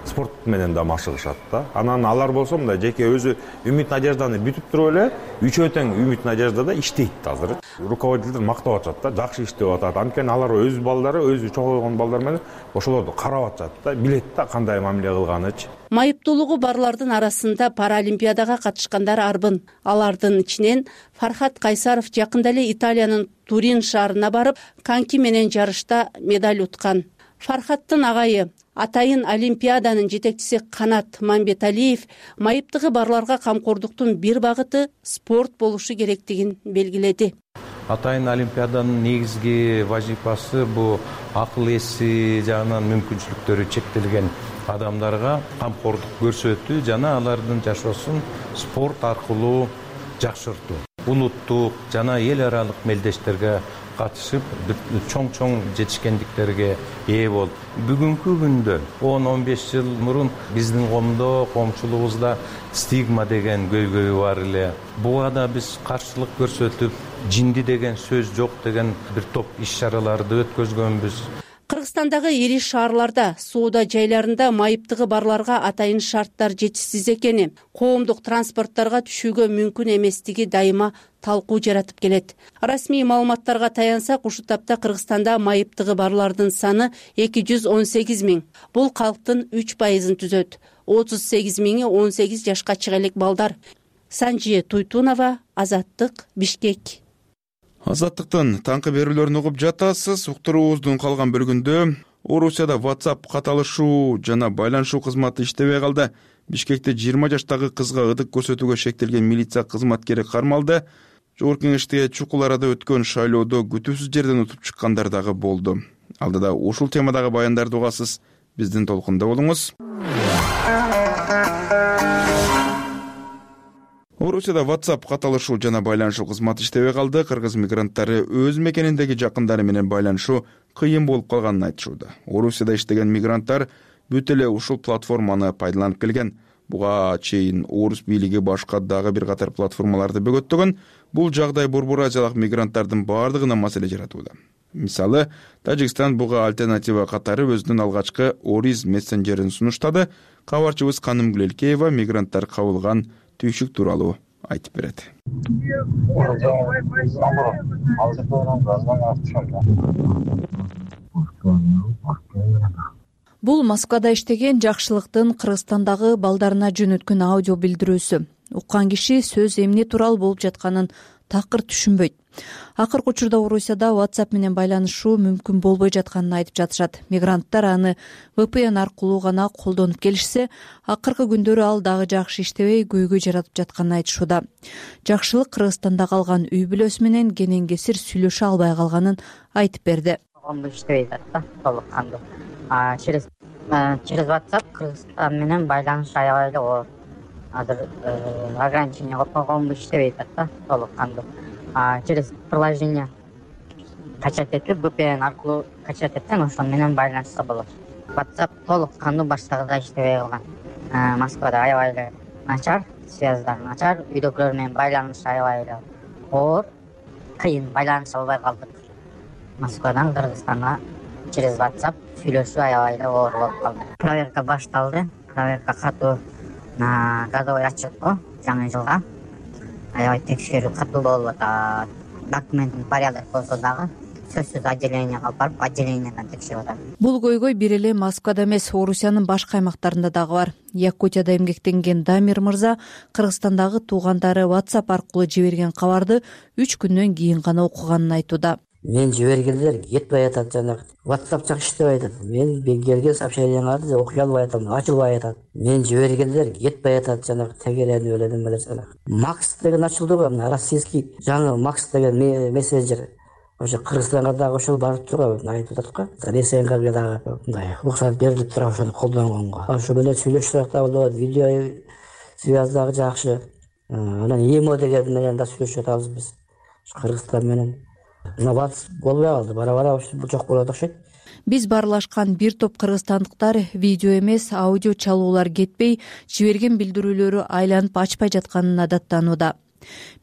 спорт менен да машыгышат да. Анан алар болсо мындай жеке өзү Үмүт Надежданы бүтүп туруп эле, үчөө тең Үмүт Надеждада иштейт азыр. Руководителдер мактап атат да, жакшы иштеп атат. Анткени алар өз балдары, өзү чоңойгон балдар менен ошолорду карап атат да, билет да кандай мамиле кылганычы. Майыптуулугу барлардын арасында Паралимпиадага катышкандар арбын. Алардын ичинен Фархат Кайсаров жакында эле Италиянын Турин шаарына барып, коньки менен жарышта медаль уткан. Фархаттын агайы, атайын Олимпиаданын жетекчиси Канат Мамбеталиев майыптыгы барларга камкордуктун бир багыты спорт болушу керектигин белгиледи. Атайын Олимпиаданын негизги вазифасы бул акыл эси жагынан мүмкүнчүлүктөрү чектелген адамдарга камкордук көрсөтүү жана алардын жашоосун спорт аркылуу жакшыртуу. Улуттук жана эл аралык мелдештерге катышып, чоң жетишкендиктерге ээ болуп. Бүгүнкү күндө 10-15 жыл мурун биздин коомдо, коомчулугубузда стигма деген көйгөй бар эле. Буга да биз каршылык көрсөтүп, жинди деген сөз жок деген бир топ иш-чараларды өткөзгөнбүз. Кыргызстандагы ири шаарларда, соода жайларында майыптыгы барларга атайын шарттар жетишсиз экени, коомдук транспорттарга түшүүгө мүмкүн эместиги дайыма талкуу жаратып келет. Расмий маалыматтарга таянсак, ушул тапта Кыргызстанда майыптыгы барлардын саны 218 миң. Бул калктын 3%-ын түзөт. 38 миңи 18 жашка чыга элек балдар. Санжи Туйтунова, Азаттык, Бишкек. Азаттыктын таңкы берүүлөрүн угуп жатасыз. Уктуруубуздун калган бөлүгүндө Орусияда WhatsApp каталышуу жана байланышуу кызматы иштебей калды. Бишкекте 20 жаштагы кызга ыдык көрсөтүүгө шектелген милиция кызматкери кармалды. Жогорку Кеңештеги чукул арада өткөн шайлоодо күтүүсүз жерден утуп чыккандар дагы болду. Алдыда ушул темадагы баяндарды угасыз. Биздин толкунда болуңуз. Орусияда WhatsApp каталышуу жана байланышуу кызматы иштебей калды. Кыргыз мигранттары өз мекениндеги жакындары менен байланышуу кыйын болуп калганын айтышууда. Орусияда иштеген мигранттар бүт эле ушул платформаны пайдаланып келген. Буга чейин орус бийлиги башка дагы бир катар платформаларды бөгөттөгөн. Бул жагдай Борбор Азиялык мигранттардын бардыгына маселе жаратууда. Мисалы, Тажикстан буга альтернатива катары өзүнүн алгачкы Oriz мессенджерин сунуштады. Кабарчыбыз Каным Гүлелкеева мигранттар кабылган түйшүк тууралуу айтып берет. Бул Москвада иштеген Жакшылыктын Кыргызстандагы балдарына жөнөткөн аудио билдирүүсү. Уккан киши сөз эмне тууралуу болуп жатканын такыр түшүнбөйт. Акыркы учурда Орусияда WhatsApp менен байланышуу мүмкүн болбой жатканын айтып жатышат. Мигранттар аны VPN аркылуу гана колдонуп келишсе, акыркы күндөрү ал дагы жакшы иштебей, көйгөй жаратып жатканын айтышууда. Жакшылык Кыргызстанда калган үй бүлөсү менен кенен кесир сүйлөшө албай калганын айтып берди. Иштебей атат да, толук кандуу. Через WhatsApp Кыргызстан менен байланыш аябай эле оор. Азыр ограничение коюп койгонбу, иштебей атат да, толук кандуу. Через приложение качать этип, VPN аркылуу качать этсең, ошол менен байланышса болот. WhatsApp толук кандуу баштагыдай иштебей калган. Москвада аябай эле начар, связьдар начар, үйдөгүлөр менен байланыш аябай эле оор, кыйын байланыша албай калдык. Москвадан Кыргызстанга через WhatsApp сүйлөшүү аябай эле оор болуп калды. Проверка башталды. Проверка катуу годовой отчет го жаңы жылга. Аябай текшерүү катуу болуп атат. Документтин порядок болсо дагы сөзсүз отделение алып барып, отделениедан текшерип атат. Бул көйгөй бир эле Москвада эмес, Орусиянын башка аймактарында дагы бар. Якутияда эмгектенген Дамир мырза Кыргызстандагы туугандары WhatsApp аркылуу жиберген кабарды 3 күндөн кийин гана окуганын айтууда. Мен жибергендер кетпей атат, жанагы WhatsApp жакшы иштебей атат. Мен келген сообщенияларды окуй албай атам, ачылбай атат. Мен жибергендер кетпей атат, жанагы тегерени беледим беле жанагы. Max деген ачылды го, российский жаңы Max деген мессенджер. Ошо Кыргызстанга дагы ошол барып турат, айтып атат го. Ресейге дагы мындай уруксат берилип турат ошону колдонгонго. Ошо менен сүйлөшсөк да болот, видео связь дагы жакшы. Анан ИМО деген менен да сүйлөшүп атабыз биз. Кыргызстан менен инновация болбой калды, бара-бара бул жок болот окшойт. Биз барлашкан бир топ кыргызстандыктар видео эмес, аудио чалуулар кетпей, жиберген билдирүүлөрү айланып ачпай жатканына даттанууда.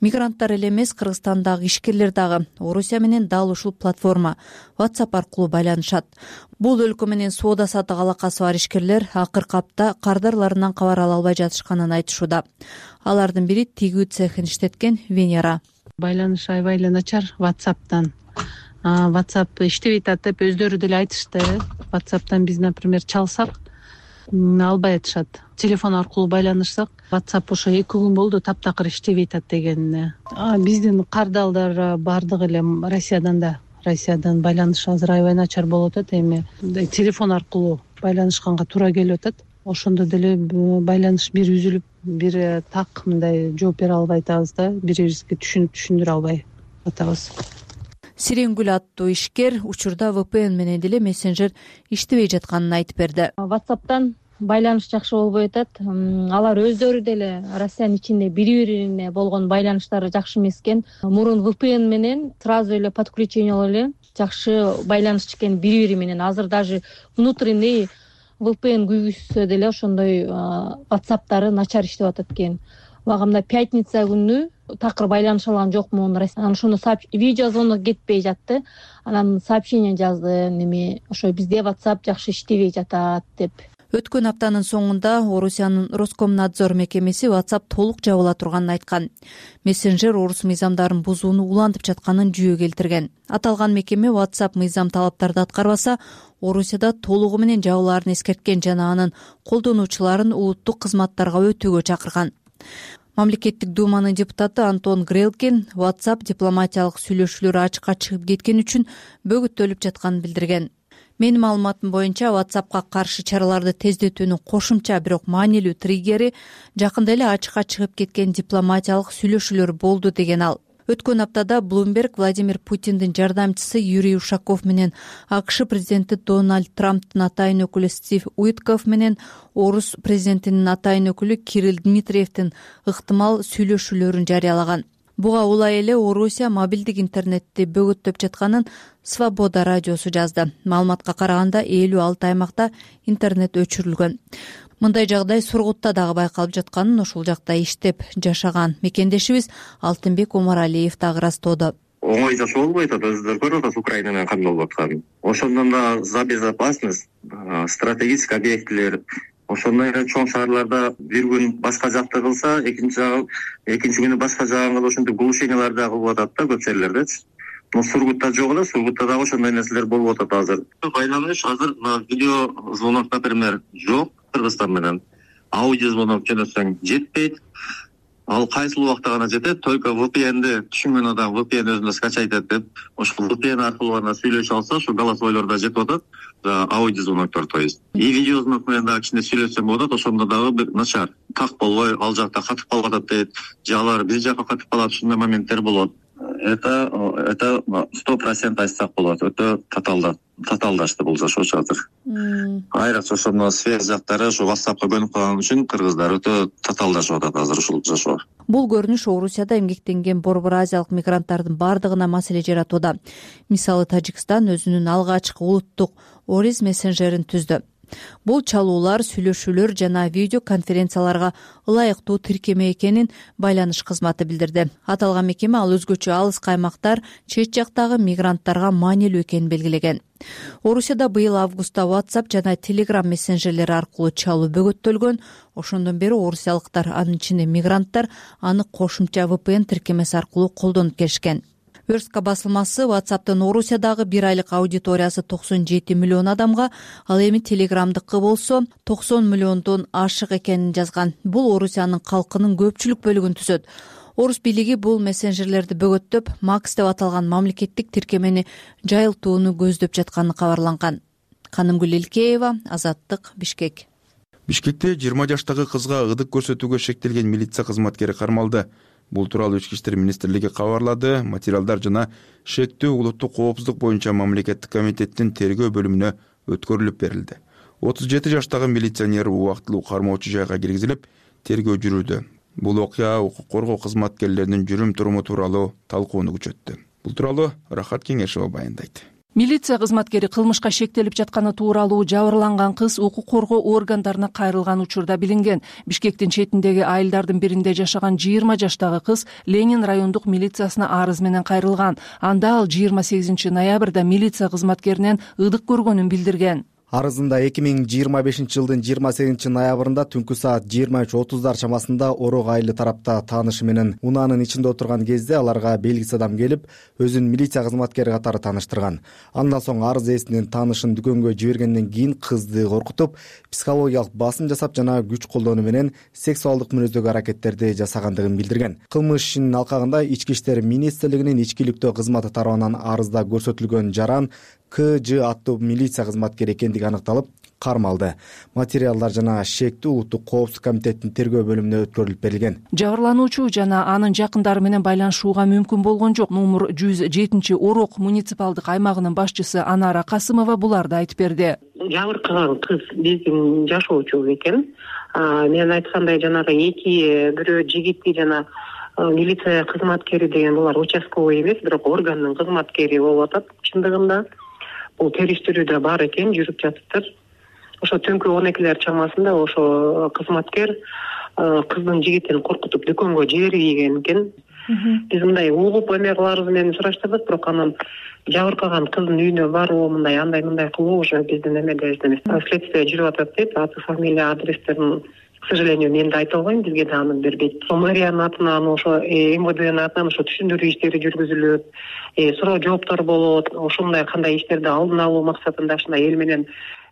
Мигранттар эле эмес, Кыргызстандагы ишкерлер дагы Орусия менен дал ушул платформа WhatsApp аркылуу байланышат. Бул өлкө менен соода саттык алакасы бар ишкерлер акыркы апта кардарларынан кабар ала албай жатышканын айтышууда. Алардын бири тигүү цехин иштеткен Венера. Байланыш аябай эле начар WhatsApp'тан. WhatsApp иштебей атат деп өздөрү деле айтышты. WhatsApp'тан биз, например, чалсак албай атышат. Телефон аркылуу байланышсак, WhatsApp ошо 2 күн болду таптакыр иштебей атат деген. Биздин кардалдар бардыгы эле Россиядан байланыш азыр аябай начар болуп атат. Эми телефон аркылуу байланышканга туура келип атат. Ошондо деле байланыш бир үзүлүп, бир так мындай жооп бере албай атабыз да, бири-бирибизге түшүндүрө албай атабыз. Сиренгүл аттуу ишкер учурда VPN менен деле мессенджер иштебей жатканын айтып берди. WhatsApp'тан байланыш жакшы болбой атат. Алар өздөрү деле Россиянын ичинде бири-бирине болгон байланыштары жакшы эмес экен. Мурун VPN менен сразу эле подключение эле жакшы байланыш экен бири-бири менен. Азыр даже внутренний VPN күйгүзсө деле ошондой WhatsApp'тары начар иштеп атат экен. мага мына пятница күнү такыр байланыша алган жокмун, ошондо видеозвонок кетпей жатты. Анан сообщение жаздым, неме ошо бизде WhatsApp жакшы иштебей жатат деп. Өткөн аптанын соңунда Орусиянын Роскомнадзор мекемеси WhatsApp толук жабыла турганын айткан. Мессенджер орус мыйзамдарын бузууну улантып жатканын жүйө келтирген. Аталган мекеме WhatsApp мыйзам талаптарды аткарбаса, Орусияда толугу менен жабылаарын эскерткен жана анын колдонуучуларын улуттук кызматтарга өтүүгө чакырган. Мамлекеттик думанын депутаты Антон Грелкин WhatsApp дипломатиялык сүйлөшүүлөр ачыкка чыгып кеткен үчүн бөгөттөлүп жатканын билдирген. Менин маалыматым боюнча WhatsAppка каршы чараларды тездетүүнүн кошумча бирок маанилүү триггери жакында эле ачыкка чыгып кеткен дипломатиялык сүйлөшүүлөр болду деген ал. Өткөн аптада Bloomberg Владимир Путиндин жардамчысы Юрий Ушаков менен АКШ президенти Дональд Трамптын атайын өкүлү Стив Уитков менен орус президентинин атайын өкүлү Кирилл Дмитриевдин ыктымал сүйлөшүүлөрүн жарыялаган. Буга улай эле Орусия мобилдик интернетти бөгөттөп жатканын Свобода радиосу жазды. Маалыматка караганда 56 аймакта интернет өчүрүлгөн. Мындай жагдай Сургутта дагы байкалып жатканын ошол жакта иштеп жашаган мекендешибиз Алтынбек Омаралиев дагы ырастоодо. Оңой жашоо болбой атат, өзүңүздөр көрүп атасыз Украина менен кандай болуп атканын. Ошондон да за безопасность, стратегический объектилер, ошондой эле чоң шаарларда бир күн башка жакты кылса, экинчи күнү башка жагын кылып ошентип глушениялар дагы кылып атат да көп жерлердечи. Сургутта жок эле, Сургутта дагы ошондой нерселер болуп атат азыр. Байланыш азыр видео звонок, например, жок Кыргызстан менен. Аудио звонок келсең жетпейт. Ал кайсыл убакта гана жетет, только VPN'ди түшүнгөн адам VPN өзүнө скачать этип, ошол VPN аркылуу гана сүйлөшө алса, ошо голосойлор да жетип атат. Аудио звоноктор, то есть. И видео звонок менен дагы кичине сүйлөшсөм болот, ошондо дагы бир начар. Так болбой, ал жакта катып калып атат дейт. Же алар биз жака катып калат, ушундай моменттер болот. Это 100% айтсак болот. Өтө татаалдашты бул жашоочу азыр. Айрыкча ошондо связь жактары ушу WhatsAppка көнүп калган үчүн кыргыздар өтө татаалдашып атат азыр ушул жашоо. Бул көрүнүш Орусияда эмгектенген Борбор Азиялык мигранттардын бардыгына маселе жаратууда. Мисалы Тажикстан өзүнүн алгачкы улуттук Орис мессенджерин түздү. Бул чалуулар, сүйлөшүүлөр жана видео конференцияларга ылайыктуу тиркеме экенин байланыш кызматы билдирди. Аталган мекеме ал өзгөчө алыскы аймактар, чет жактагы мигранттарга маанилүү экенин белгилеген. Орусияда быйыл августта WhatsApp жана Telegram мессенджерлери аркылуу чалуу бөгөттөлгөн. Ошондон бери орусиялыктар, анын ичинде мигранттар, аны кошумча VPN тиркемеси аркылуу колдонуп келишкен. Верстка басылмасы WhatsApp'тын Орусиядагы бир айлык аудиториясы 97 миллион адамга, ал эми Telegram'дыкы болсо 90 миллиондон ашык экенин жазган. Бул Орусиянын калкынын көпчүлүк бөлүгүн түзөт. Орус бийлиги бул мессенджерлерди бөгөттөп, Max деп аталган мамлекеттик тиркемени жайылтууну көздөп жатканы кабарланган. Канымгүл Элкеева, Азаттык, Бишкек. Бишкекте 20 жаштагы кызга ырдык көрсөтүүгө шектелген милиция кызматкери кармалды. Бул тууралуу Ички иштер министрлиги кабарлады. Материалдар жана шектүү улуттук коопсуздук боюнча мамлекеттик комитеттин тергөө бөлүмүнө өткөрүлүп берилди. 37 жаштагы милиционер убактылуу кармоочу жайга киргизилип, тергөө жүрүүдө. Бул окуя укук коргоо кызматкерлеринин жүрүм туруму тууралуу талкууну күчөттү. Бул тууралуу Рахат Кеңешова баяндайт. Милиция кызматкери кылмышка шектелип жатканы тууралуу жабырланган кыз укук коргоо органдарына кайрылган учурда билинген. Бишкектин четиндеги айылдардын биринде жашаган 20 жаштагы кыз Ленин райондук милициясына арыз менен кайрылган. Анда ал 28 ноябрда милиция кызматкеринен ырдык көргөнүн билдирген. Арызында 2025 жылдын 28 ноябрында түнкү саат 23:30 чамасында Орок айылы тарапта таанышы менен унаанын ичинде отурган кезде аларга белгисиз адам келип, өзүн милиция кызматкери катары тааныштырган. Андан соң арыз ээсинин таанышын дүкөнгө жибергенден кийин кызды коркутуп, психологиялык басым жасап жана күч колдонуу менен сексуалдык мүнөздөгү аракеттерди жасагандыгын билдирген. Кылмыш ишинин алкагында Ички иштер министрлигинин ичкиликтөө кызматы тарабынан арызда көрсөтүлгөн жаран КЖ аттуу милиция кызматкери экендиги аныкталып, кармалды. Материалдар жана шектүү улуттук коопсуздук комитетинин тергөө бөлүмүнө өткөрүлүп берилген. Жабырлануучу жана анын жакындары менен байланышууга мүмкүн болгон жок. Номер 107 Орок муниципалдык аймагынын башчысы Анара Касымова буларды айтып берди. Жабыркаган кыз биздин жашоочу экен. Мен айткандай жанагы эки бирөө жигитти жана милиция кызматкери деген булар участковый эмес, бирок органдын кызматкери болуп атат. Чындыгында бул териштирүү да бар экен, жүрүп жатыптыр. Ошо түнкү 12-лер чамасында ошо кызматкер кыздын жигитин коркутуп дүкөнгө жиберген экен. Биз мындай угуп эме кыларыбыз менен сураштырдык, бирок анан жабыркаган кыздын үйүнө баруу, андай кылуу уже биздин эмеде эмес. Следствие жүрүп атат дейт. Аты, фамилия, адрестерин, к сожалению, мен да айта албайм, бизге да аны бербейт. Мэриянын атынан, ошо МВДнын атынан ошо түшүндүрүү иштери жүргүзүлөт, суроо жооптор болот. Ошондой кандай иштерди алдын алуу максатында ушундай эл менен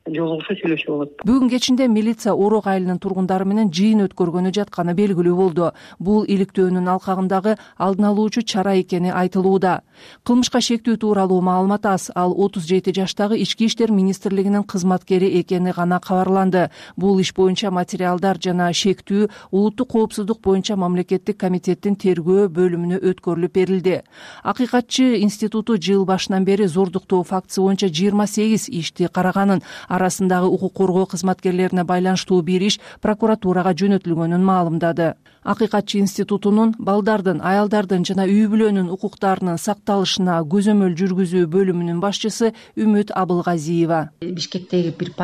жолугушуу, сүйлөшүү болот. Бүгүн кечинде милиция Орок айылынын тургундары менен жыйын өткөргөнү жатканы белгилүү болду. Бул иликтөөнүн алкагындагы алдын алуучу чара экени айтылууда. Кылмышка шектүү тууралуу маалымат аз. Ал 37 жаштагы Ички иштер министрлигинин кызматкери экени гана кабарланды. Бул иш боюнча материалдар жана шектүү улуттук коопсуздук боюнча мамлекеттик комитеттин тергөө бөлүмүнө өткөрүлүп берилди. Акыйкатчы институту жыл башынан бери зордуктоо фактысы боюнча 28 ишти караганын, арасындагы укук коргоо кызматкерлерине байланыштуу бир иш прокуратурага жөнөтүлгөнүн маалымдады. Акыйкатчы институтунун балдардын, аялдардын жана үй бүлөнүн укуктарынын сакталышына көзөмөл жүргүзүү бөлүмүнүн башчысы Үмүт Абылгазиева. Бишкектеги бир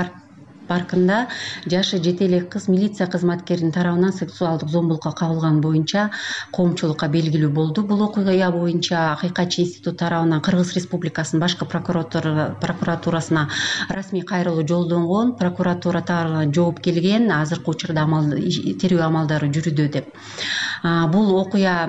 паркында жашы жете элек кыз милиция кызматкеринин тарабынан сексуалдык зомбулукка кабылган боюнча коомчулукка белгилүү болду. Бул окуя боюнча Акыйкатчы институт тарабынан Кыргыз Республикасынын башкы прокуратурасына расмий кайрылуу жолдонгон. Прокуратура тарабынан жооп келген. Азыркы учурда терүү амалдары жүрүүдө деп. Бул окуя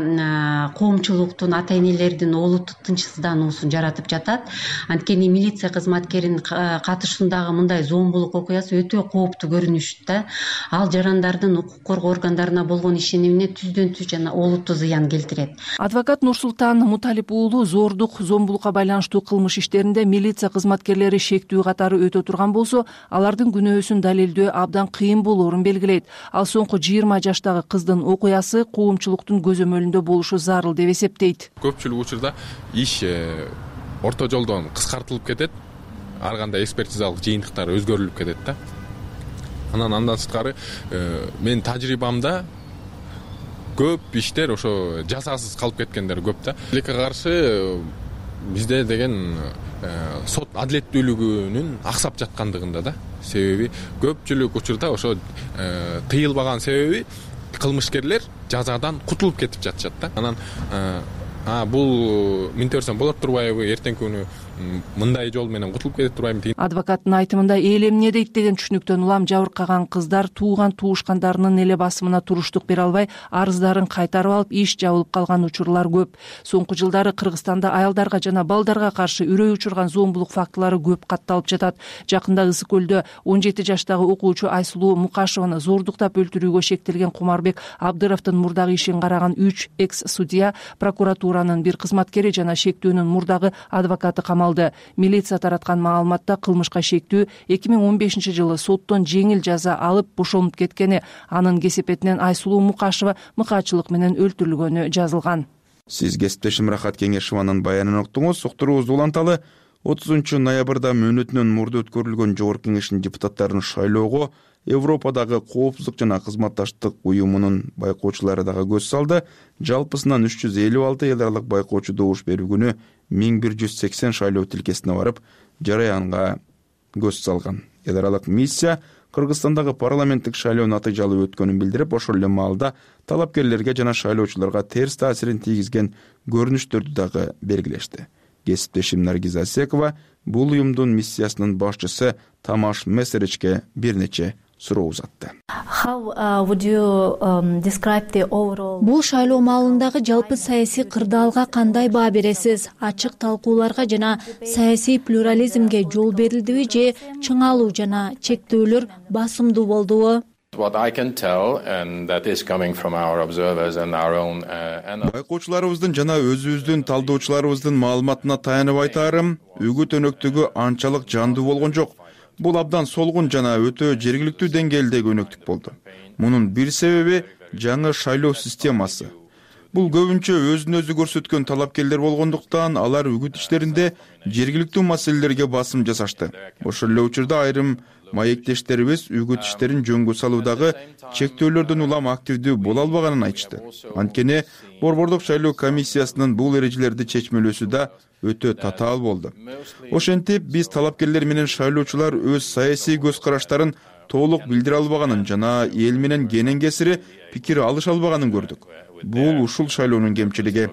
коомчулуктун, ата энелердин олуттук тынчсыздануусун жаратып жатат. Анткени милиция кызматкеринин катышуусундагы мындай зомбулук окуясы өтө кооптуу көрүнүштө. Ал жарандардын укук коргоо органдарына болгон ишенимине түздөн түз жана олуттуу зыян келтирет. Адвокат Нурсултан Муталип уулу зордук, зомбулукка байланыштуу кылмыш иштеринде милиция кызматкерлери шектүү катары өтө турган болсо, алардын күнөөсүн далилдөө абдан кыйын болоорун белгилейт. Ал соңку 20 жаштагы кыздын окуясы коомчулуктун көзөмөлүндө болушу зарыл деп эсептейт. Көпчүлүк учурда иш орто жолдон кыскартылып кетет. Ар кандай экспертизалык жыйынтыктар өзгөрүлүп кетет да. Андан сырткары менин тажрыйбамда көп иштер ошо жазасыз калып кеткендер көп да. Тилекке каршы бизде деген сот адилеттүүлүгүнүн аксап жаткандыгында да. Себеби көпчүлүк учурда ошо тыйылбаган себеби кылмышкерлер жазадан кутулуп кетип жатышат да. Анан бул мынтип берсем болот турбайбы, эртеңки күнү мындай жол менен кутулуп кетип турбайбы деген. Адвокаттын айтымында эл эмне дейт деген түшүнүктөн улам жабыркаган кыздар тууган туушкандарынын эле басымына туруштук бере албай, арыздарын кайтарып алып, иш жабылып калган учурлар көп. Соңку жылдары Кыргызстанда аялдарга жана балдарга каршы үрөй учурган зомбулук фактылары көп катталып жатат. Жакында Ысык көлдө 17 жаштагы окуучу Айсулуу Мукашеваны зордуктап өлтүрүүгө шектелген Кумарбек Абдыровдун мурдагы ишин караган 3 экс-судья, прокуратуранын бир кызматкери жана шектүүнүн мурдагы адвокаты камалды. Милиция тараткан маалыматта кылмышка шектүү 2015 жылы соттон жеңил жаза алып бошолуп кеткени, анын кесепетинен Айсулуу Мукашева мыкаачылык менен өлтүрүлгөнү жазылган. Сиз кесиптешим Рахат Кеңешованын баянын уктуңуз. Уктуруубузду уланталы. 30 ноябрда мөөнөтүнөн мурда өткөрүлгөн Жогорку Кеңештин депутаттарын шайлоого Европадагы коопсуздук жана кызматташтык уюмунун байкоочулары дагы көз салды. Жалпысынан 356 эл аралык байкоочу добуш берүү күнү 1180 шайлоо тилкесине барып, жараянга көз салган. Эл аралык миссия Кыргызстандагы парламенттик шайлоо натыйжалуу өткөнүн билдирип, ошол эле маалда талапкерлерге жана шайлоочуларга терс таасирин тийгизген көрүнүштөрдү дагы белгилешти. Кесиптешим Наргиза Асекова бул уюмдун миссиясынын башчысы Тамаш Месеричке бир нече суроо узатты. Бул шайлоо маалындагы жалпы саясий кырдаалга кандай баа бересиз? Ачык талкууларга жана саясий плюрализмге жол берилдиби же чыңалуу жана чектөөлөр басымдуу болдубу? Байкоочуларыбыздын жана өзүбүздүн талдоочуларыбыздын маалыматына таянып айтаарым, үгүт өнөктүгү анчалык жандуу болгон жок. Бул абдан солгун жана өтө жергиликтүү деңгээлдеги өнөктүк болду. Мунун бир себеби жаңы шайлоо системасы. Бул көбүнчө өзүн өзү көрсөткөн талапкерлер болгондуктан алар үгүт иштеринде жергиликтүү маселелерге басым жасашты. Ошол эле учурда айрым маектештерибиз үгүт иштерин жөнгө салуудагы чектөөлөрдөн улам активдүү боло албаганын айтышты. Анткени Борбордук шайлоо комиссиясынын бул эрежелерди чечмелөөсү да өтө татаал болду. Ошентип биз талапкерлер менен шайлоочулар өз саясий көз караштарын толук билдире албаганын жана эл менен кенен кесири пикир алыша албаганын көрдүк. Бул ушул шайлоонун кемчилиги.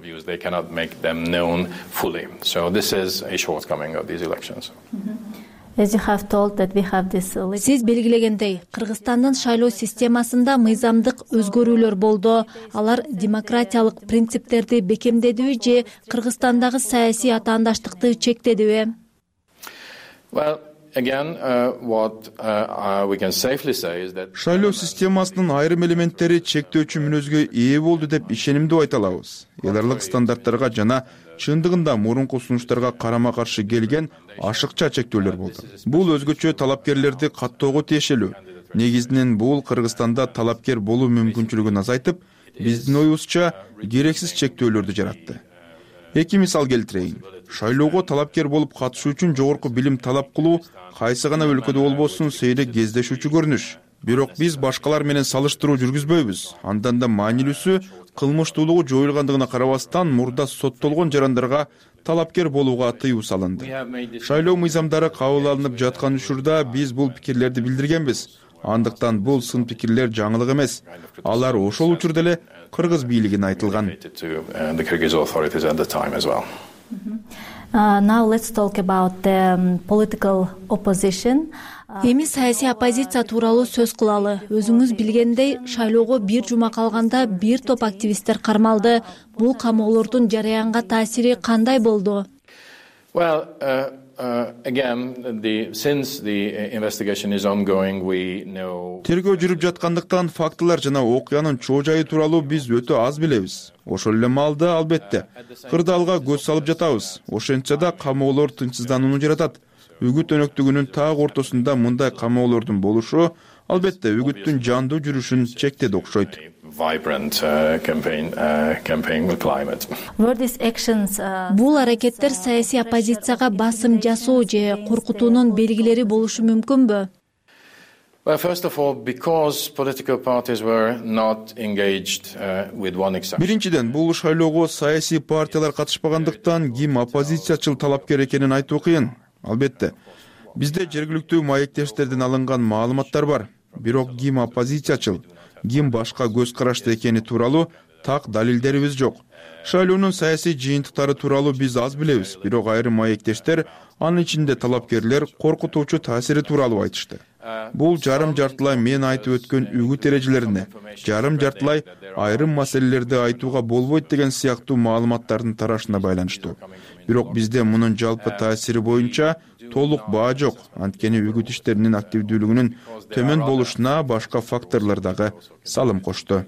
Сиз белгилегендей, Кыргызстандын шайлоо системасында мыйзамдык өзгөрүүлөр болду. Алар демократиялык принциптерди бекемдедиби же Кыргызстандагы саясий атаандаштыкты чектедиби? Шайлоо системасынын айрым элементтери чектөөчү мүнөзгө ээ болду деп ишенимдүү айта алабыз. Эл аралык стандарттарга жана чындыгында мурунку сунуштарга карама каршы келген ашыкча чектөөлөр болду. Бул өзгөчө талапкерлерди каттоого тиешелүү. Негизинен бул Кыргызстанда талапкер болуу мүмкүнчүлүгүн азайтып, биздин оюбузча керексиз чектөөлөрдү жаратты. Эки мисал келтирейин. Шайлоого талапкер болуп катышуу үчүн жогорку билим талап кылуу кайсы гана өлкөдө болбосун сейрек кездешүүчү көрүнүш. Бирок биз башкалар менен салыштыруу жүргүзбөйбүз. Андан да маанилүүсү, кылмыштуулугу жоюлгандыгына карабастан мурда соттолгон жарандарга талапкер болууга тыюу салынды. Шайлоо мыйзамдары кабыл алынып жаткан учурда биз бул пикирлерди билдиргенбиз. Андыктан бул сын пикирлер жаңылык эмес. Алар ошол учурда эле кыргыз бийлигине айтылган. Now let's talk about the political opposition. Эми саясий оппозиция тууралуу сөз кылалы. Өзүңүз билгендей, шайлоого бир жума калганда бир топ активисттер кармалды. Бул камоолордун жараянга таасири кандай болду? Тергөө жүрүп жаткандыктан фактылар жана окуянын чоо жайы тууралуу биз өтө аз билебиз. Ошол эле маалда албетте кырдаалга көз салып жатабыз. Ошентсе да камоолор тынчсызданууну жаратат. Үгүт өнөктүгүнүн так ортосунда мындай камоолордун болушу албетте үгүттүн жандуу жүрүшүн чектеди окшойт. Бул аракеттер саясий оппозицияга басым жасоо же коркутуунун белгилери болушу мүмкүнбү? Биринчиден, бул шайлоого саясий партиялар катышпагандыктан ким оппозициячыл талапкер экенин айтуу кыйын. Албетте, бизде жергиликтүү маектештерден алынган маалыматтар бар. Бирок ким оппозициячыл, ким башка көз карашты экени тууралуу так далилдерибиз жок. Шайлоонун саясий жыйынтыктары тууралуу биз аз билебиз, бирок айрым маектештер, анын ичинде талапкерлер коркутуучу таасири тууралуу айтышты. Бул жарым жартылай мен айтып өткөн үгүт эрежелерине, жарым жартылай айрым маселелерди айтууга болбойт деген сыяктуу маалыматтардын тарашына байланыштуу. Бирок бизде мунун жалпы таасири боюнча толук баа жок. Анткени үгүт иштеринин активдүүлүгүнүн төмөн болушуна башка факторлор дагы салым кошту.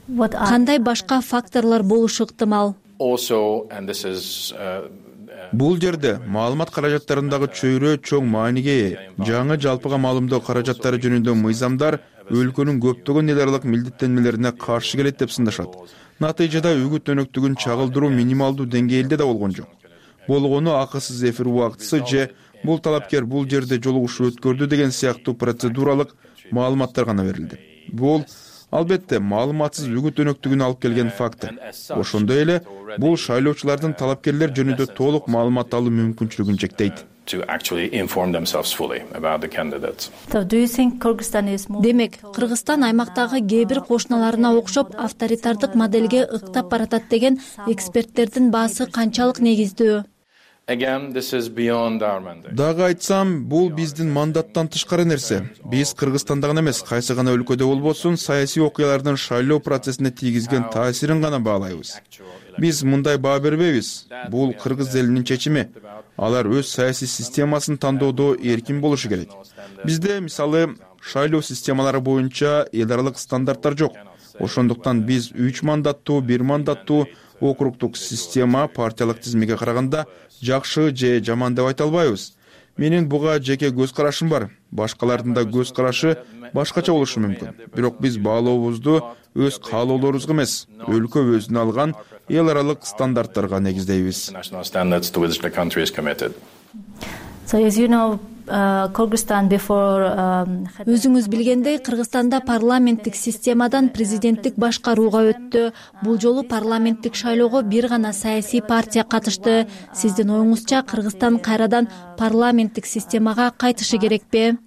Кандай башка факторлор болушу ыктымал? Бул жерде маалымат каражаттарындагы чөйрө чоң мааниге ээ. Жаңы жалпыга маалымдоо каражаттары жөнүндө мыйзамдар өлкөнүн көптөгөн эл аралык милдеттенмелерине каршы келет деп сындашат. Натыйжада үгүт өнөктүгүн чагылдыруу минималдуу деңгээлде да болгон жок. Болгону акысыз эфир убактысы же бул талапкер бул жерде жолугушуу өткөрдү деген сыяктуу процедуралык маалыматтар гана берилди. Бул албетте маалыматсыз үгүт өнөктүгүн алып келген фактор. Ошондой эле бул шайлоочулардын талапкерлер жөнүндө толук маалымат алуу мүмкүнчүлүгүн чектейт. Демек, Кыргызстан аймактагы кээ бир кошуналарына окшоп авторитардык моделге ыктап баратат деген эксперттердин баасы канчалык негиздүү? Дагы айтсам, бул биздин мандаттан тышкары нерсе. Биз Кыргызстанда гана эмес, кайсы гана өлкөдө болбосун, саясий окуялардын шайлоо процессине тийгизген таасирин гана баалайбыз. Биз мындай баа бербейбиз. Бул кыргыз элинин чечими. Алар өз саясий системасын тандоодо эркин болушу керек. Бизде, мисалы, шайлоо системалары боюнча эл аралык стандарттар жок. Ошондуктан биз 3 мандаттуу, 1 мандаттуу округдук система партиялык тизимге караганда жакшы же жаман деп айта албайбыз. Менин буга жеке көз карашым бар. Башкалардын да көз карашы башкача болушу мүмкүн. Бирок биз баалообузду өз каалоолорубузга эмес, өлкө өзүнө алган эл аралык стандарттарга негиздейбиз. Өзүңүз билгендей, Кыргызстанда парламенттик системадан президенттик башкарууга өттү. Бул жолу парламенттик шайлоого бир гана саясий партия катышты. Сиздин оюңузча Кыргызстан кайрадан парламенттик системага кайтышы керекпи?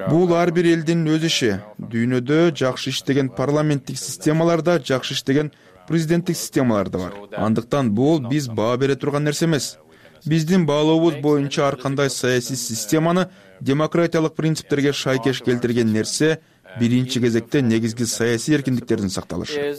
Бул ар бир элдин өз иши. Дүйнөдө жакшы иштеген парламенттик системаларда, жакшы иштеген президенттик системалар да бар. Андыктан бул биз баа бере турган нерсе эмес. Биздин баалообуз боюнча ар кандай саясий системаны демократиялык принциптерге шайкеш келтирген нерсе биринчи кезекте негизги саясий эркиндиктердин сакталышы.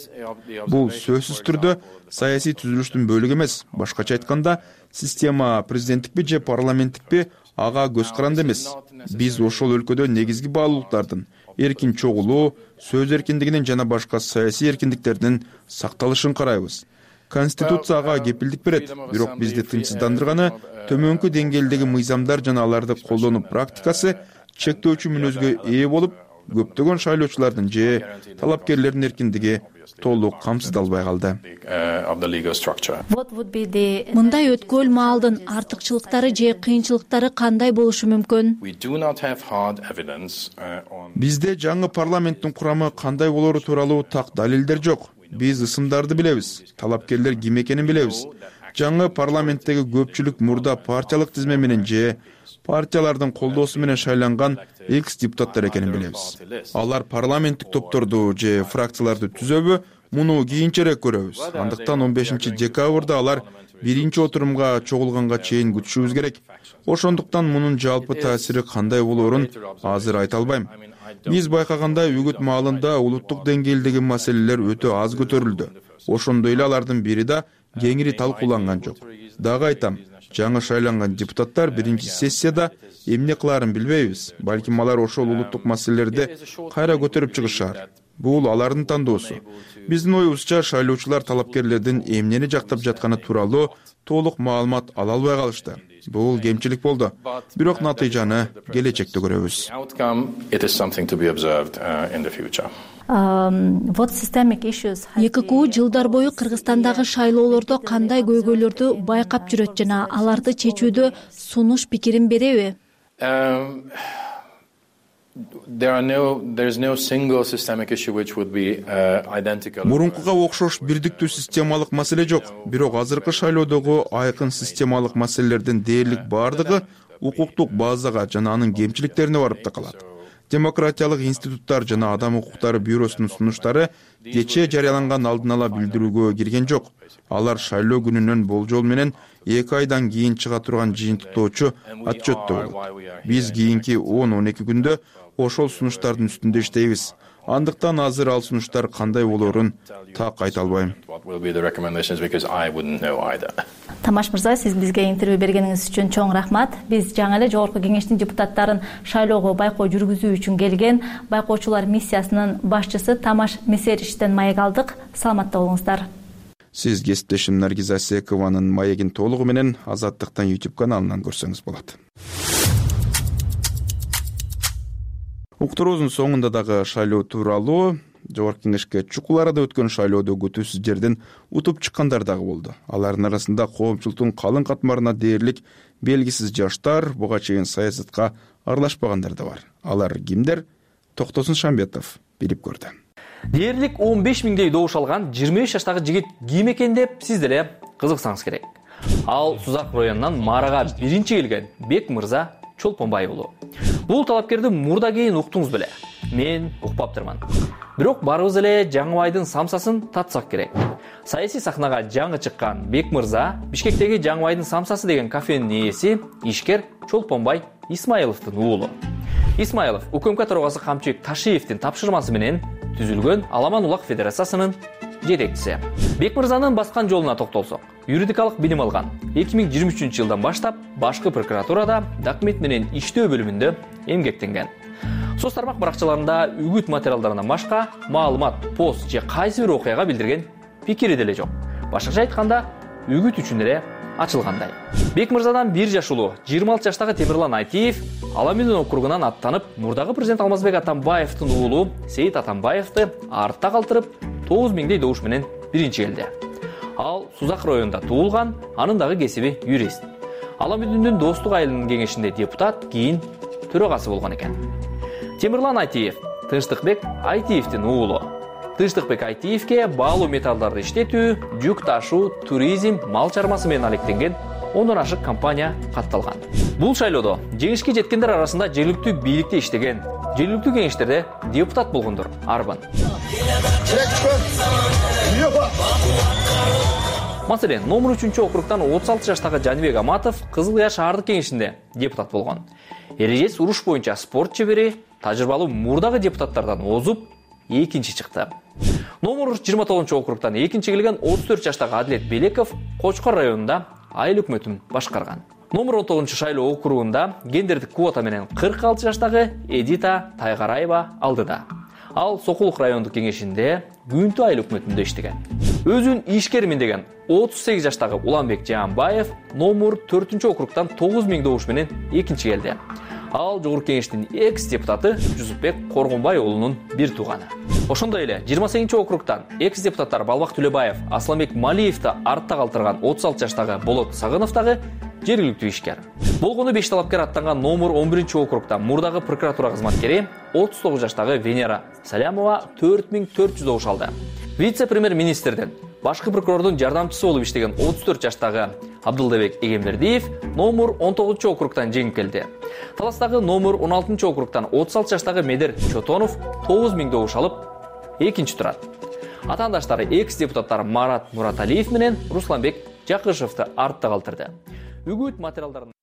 Бул сөзсүз түрдө саясий түзүлүштүн бөлүгү эмес. Башкача айтканда, система президенттикпи же парламенттикпи ага көз каранды эмес. Биз ошол өлкөдө негизги баалуулуктардын, эркин чогулуу, сөз эркиндигинин жана башка саясий эркиндиктердин сакталышын карайбыз. Конституция ага кепилдик берет, бирок бизди тынчсыздандырганы төмөнкү деңгээлдеги мыйзамдар жана аларды колдонуу практикасы чектөөчү мүнөзгө ээ болуп, көптөгөн шайлоочулардын же талапкерлердин эркиндиги толук камсыздалбай калды. Мындай өткөл маалдын артыкчылыктары же кыйынчылыктары кандай болушу мүмкүн? Бизде жаңы парламенттин курамы кандай болору тууралуу так далилдер жок. Биз ысымдарды билебиз, талапкерлер ким экенин билебиз. Жаңы парламенттеги көпчүлүк мурда партиялык тизме менен же партиялардын колдоосу менен шайланган экс-депутаттар экенин билебиз. Алар парламенттик топторду же фракцияларды түзөбү, муну кийинчерээк көрөбүз. Андыктан 15 декабрда алар биринчи отурумга чогулганга чейин күтүшүбүз керек. Ошондуктан мунун жалпы таасири кандай болоорун азыр айта албайм. Биз байкагандай үгүт маалында улуттук деңгээлдеги маселелер өтө аз көтөрүлдү. Ошондой эле алардын бири да кеңири талкууланган жок. Дагы айтам, жаңы шайланган депутаттар биринчи сессияда эмне кылаарын билбейбиз. Балким алар ошол улуттук маселелерди кайра көтөрүп чыгышар. Бул алардын тандоосу. Биздин оюбузча шайлоочулар талапкерлердин эмнени жактап жатканы тууралуу толук маалымат ала албай калышты. Бул кемчилик болду. Бирок натыйжаны келечекте көрөбүз. ЕККУ жылдар бою Кыргызстандагы шайлоолордо кандай көйгөйлөрдү байкап жүрөт жана аларды чечүүдө сунуш пикирин береби? Мурункуга окшош бирдиктүү системалык маселе жок. Бирок азыркы шайлоодогу айкын системалык маселелердин дээрлик бардыгы укуктук базага жана анын кемчиликтерине барып такалат. Демократиялык институттар жана адам укуктары бюросунун сунуштары кечээ жарыяланган алдын ала билдирүүгө кирген жок. Алар шайлоо күнүнөн болжол менен 2 айдан кийин чыга турган жыйынтыктоочу отчетто болот. Биз кийинки 10-12 күндө ошол сунуштардын үстүндө иштейбиз. Андыктан азыр ал сунуштар кандай болоорун так айта албайм. Тамаш мырза, сиз бизге интервью бергениңиз үчүн чоң рахмат. Биз жаңы эле жогорку кеңештин депутаттарын шайлоого байкоо жүргүзүү үчүн келген байкоочулар миссиясынын башчысы Тамаш Месериштен маек алдык. Саламатта болуңуздар. Сиз кесиптешим Наргиз Асекованын маегин толугу менен Азаттыктан YouTube каналынан көрсөңүз болот. Уктуруубуздун соңунда дагы шайлоо тууралуу жогорку кеңешке чукул арада өткөн шайлоодо күтүүсүз жерден утуп чыккандар дагы болду. Алардын арасында коомчулуктун калың катмарына дээрлик белгисиз жаштар, буга чейин саясатка аралашпагандар да бар. Алар кимдер? Токтосун Шамбетов билип көрдү. Дээрлик 15 миңдей добуш алган 25 жаштагы жигит ким экен деп сиз деле кызыксаңыз керек. Ал Сузак районунан Марага биринчи келген Бек мырза Чолпонбай уулу. Бул талапкерди мурда кийин уктуңуз беле. Мен укпаптырман. Бирок барыбыз эле Жаңыбайдын самсасын татсак керек. Саясий сахнага жаңы чыккан Бек мырза Бишкектеги Жаңыбайдын самсасы деген кафенин ээси ишкер Чолпонбай Исмаиловдун уулу. Исмаилов УКМК төрагасы Камчыбек Ташиевдин тапшырмасы менен түзүлгөн Аламан Улак Федерациясынын жетекчиси. Бек мырзанын баскан жолуна токтолсок, юридикалык билим алган. 2023-жылдан баштап башкы прокуратурада документ менен иштөө бөлүмүндө эмгектенген. Соц тармак баракчаларында үгүт материалдарынан башка маалымат, пост же кайсы бир окуяга билдирген пикири деле жок. Башкача айтканда, үгүт үчүн эле ачылгандай. Бекмырзадан 1 жаш улуу 26 жаштагы Темирлан Айтиев Аламедин округунан аттанып, мурдагы президент Алмазбек Атамбаевдин уулу Сейит Атамбаевди артта калтырып, 9000 добуш менен биринчи келди. Ал Сузак районунда туулган, анын дагы кесиби юрист. Аламединдин достук айылынын кеңешинде депутат, кийин төрагасы болгон экен. Темирлан Айтиев Тынчтыкбек Айтиевдин уулу. Тынчтыкбек Айтиевке баалуу металлдарды иштетүү, жүк ташуу, туризм, мал чармасы менен алектенген 10дон ашык компания катталган. Бул шайлоодо жеңишке жеткендер арасында жергиликтүү бийликте иштеген, жергиликтүү кеңештерде депутат болгондор арбын. Маселен, номер 3 округтан 36 жаштагы Жанибек Аматов Кызыл Кыя шаардык кеңешинде депутат болгон. Эрежес уруш боюнча спорт чебери, тажрыйбалуу мурдагы депутаттардан озуп, экинчи чыкты. Номер 29 округтан экинчи келген 34 жаштагы Адилет Белеков Кочкор районунда айыл өкмөтүн башкарган. Номер 19 шайлоо округунда гендердик квота менен 46 жаштагы Эдита Тайгараева алдыда. Ал Сокулук райондук кеңешинде Күнтү айыл өкмөтүндө иштеген. Өзүн ишкермин деген 38 жаштагы Уланбек Жаанбаев номер 4 округтан 9000 добуш менен экинчи келди. Ал жогорку кеңештин экс-депутаты Жусупбек Коргонбай уулунун бир тууганы. Ошондой эле 28 округтан экс-депутаттар Балбак Төлөбаев, Асламбек Малиевди артта калтырган 36 жаштагы Болот Сагынов дагы жергиликтүү ишкер. Болгону 5 талапкер аттанган номер 11 округтан мурдагы прокуратура кызматкери 39 жаштагы Венера Салямова 4400 добуш алды. Вице-премьер-министрдин башкы прокурордун жардамчысы болуп иштеген 34 жаштагы Абдылдабек Эгембердиев номер 19 округтан жеңип келди. Таластагы номер 16 округтан 36 жаштагы Медер Чотонов 9000 добуш алып экинчи турат. Атаандаштары экс-депутаттар Марат Мураталиев менен Русланбек Жакышевди артта калтырды. Үгүт материалдарын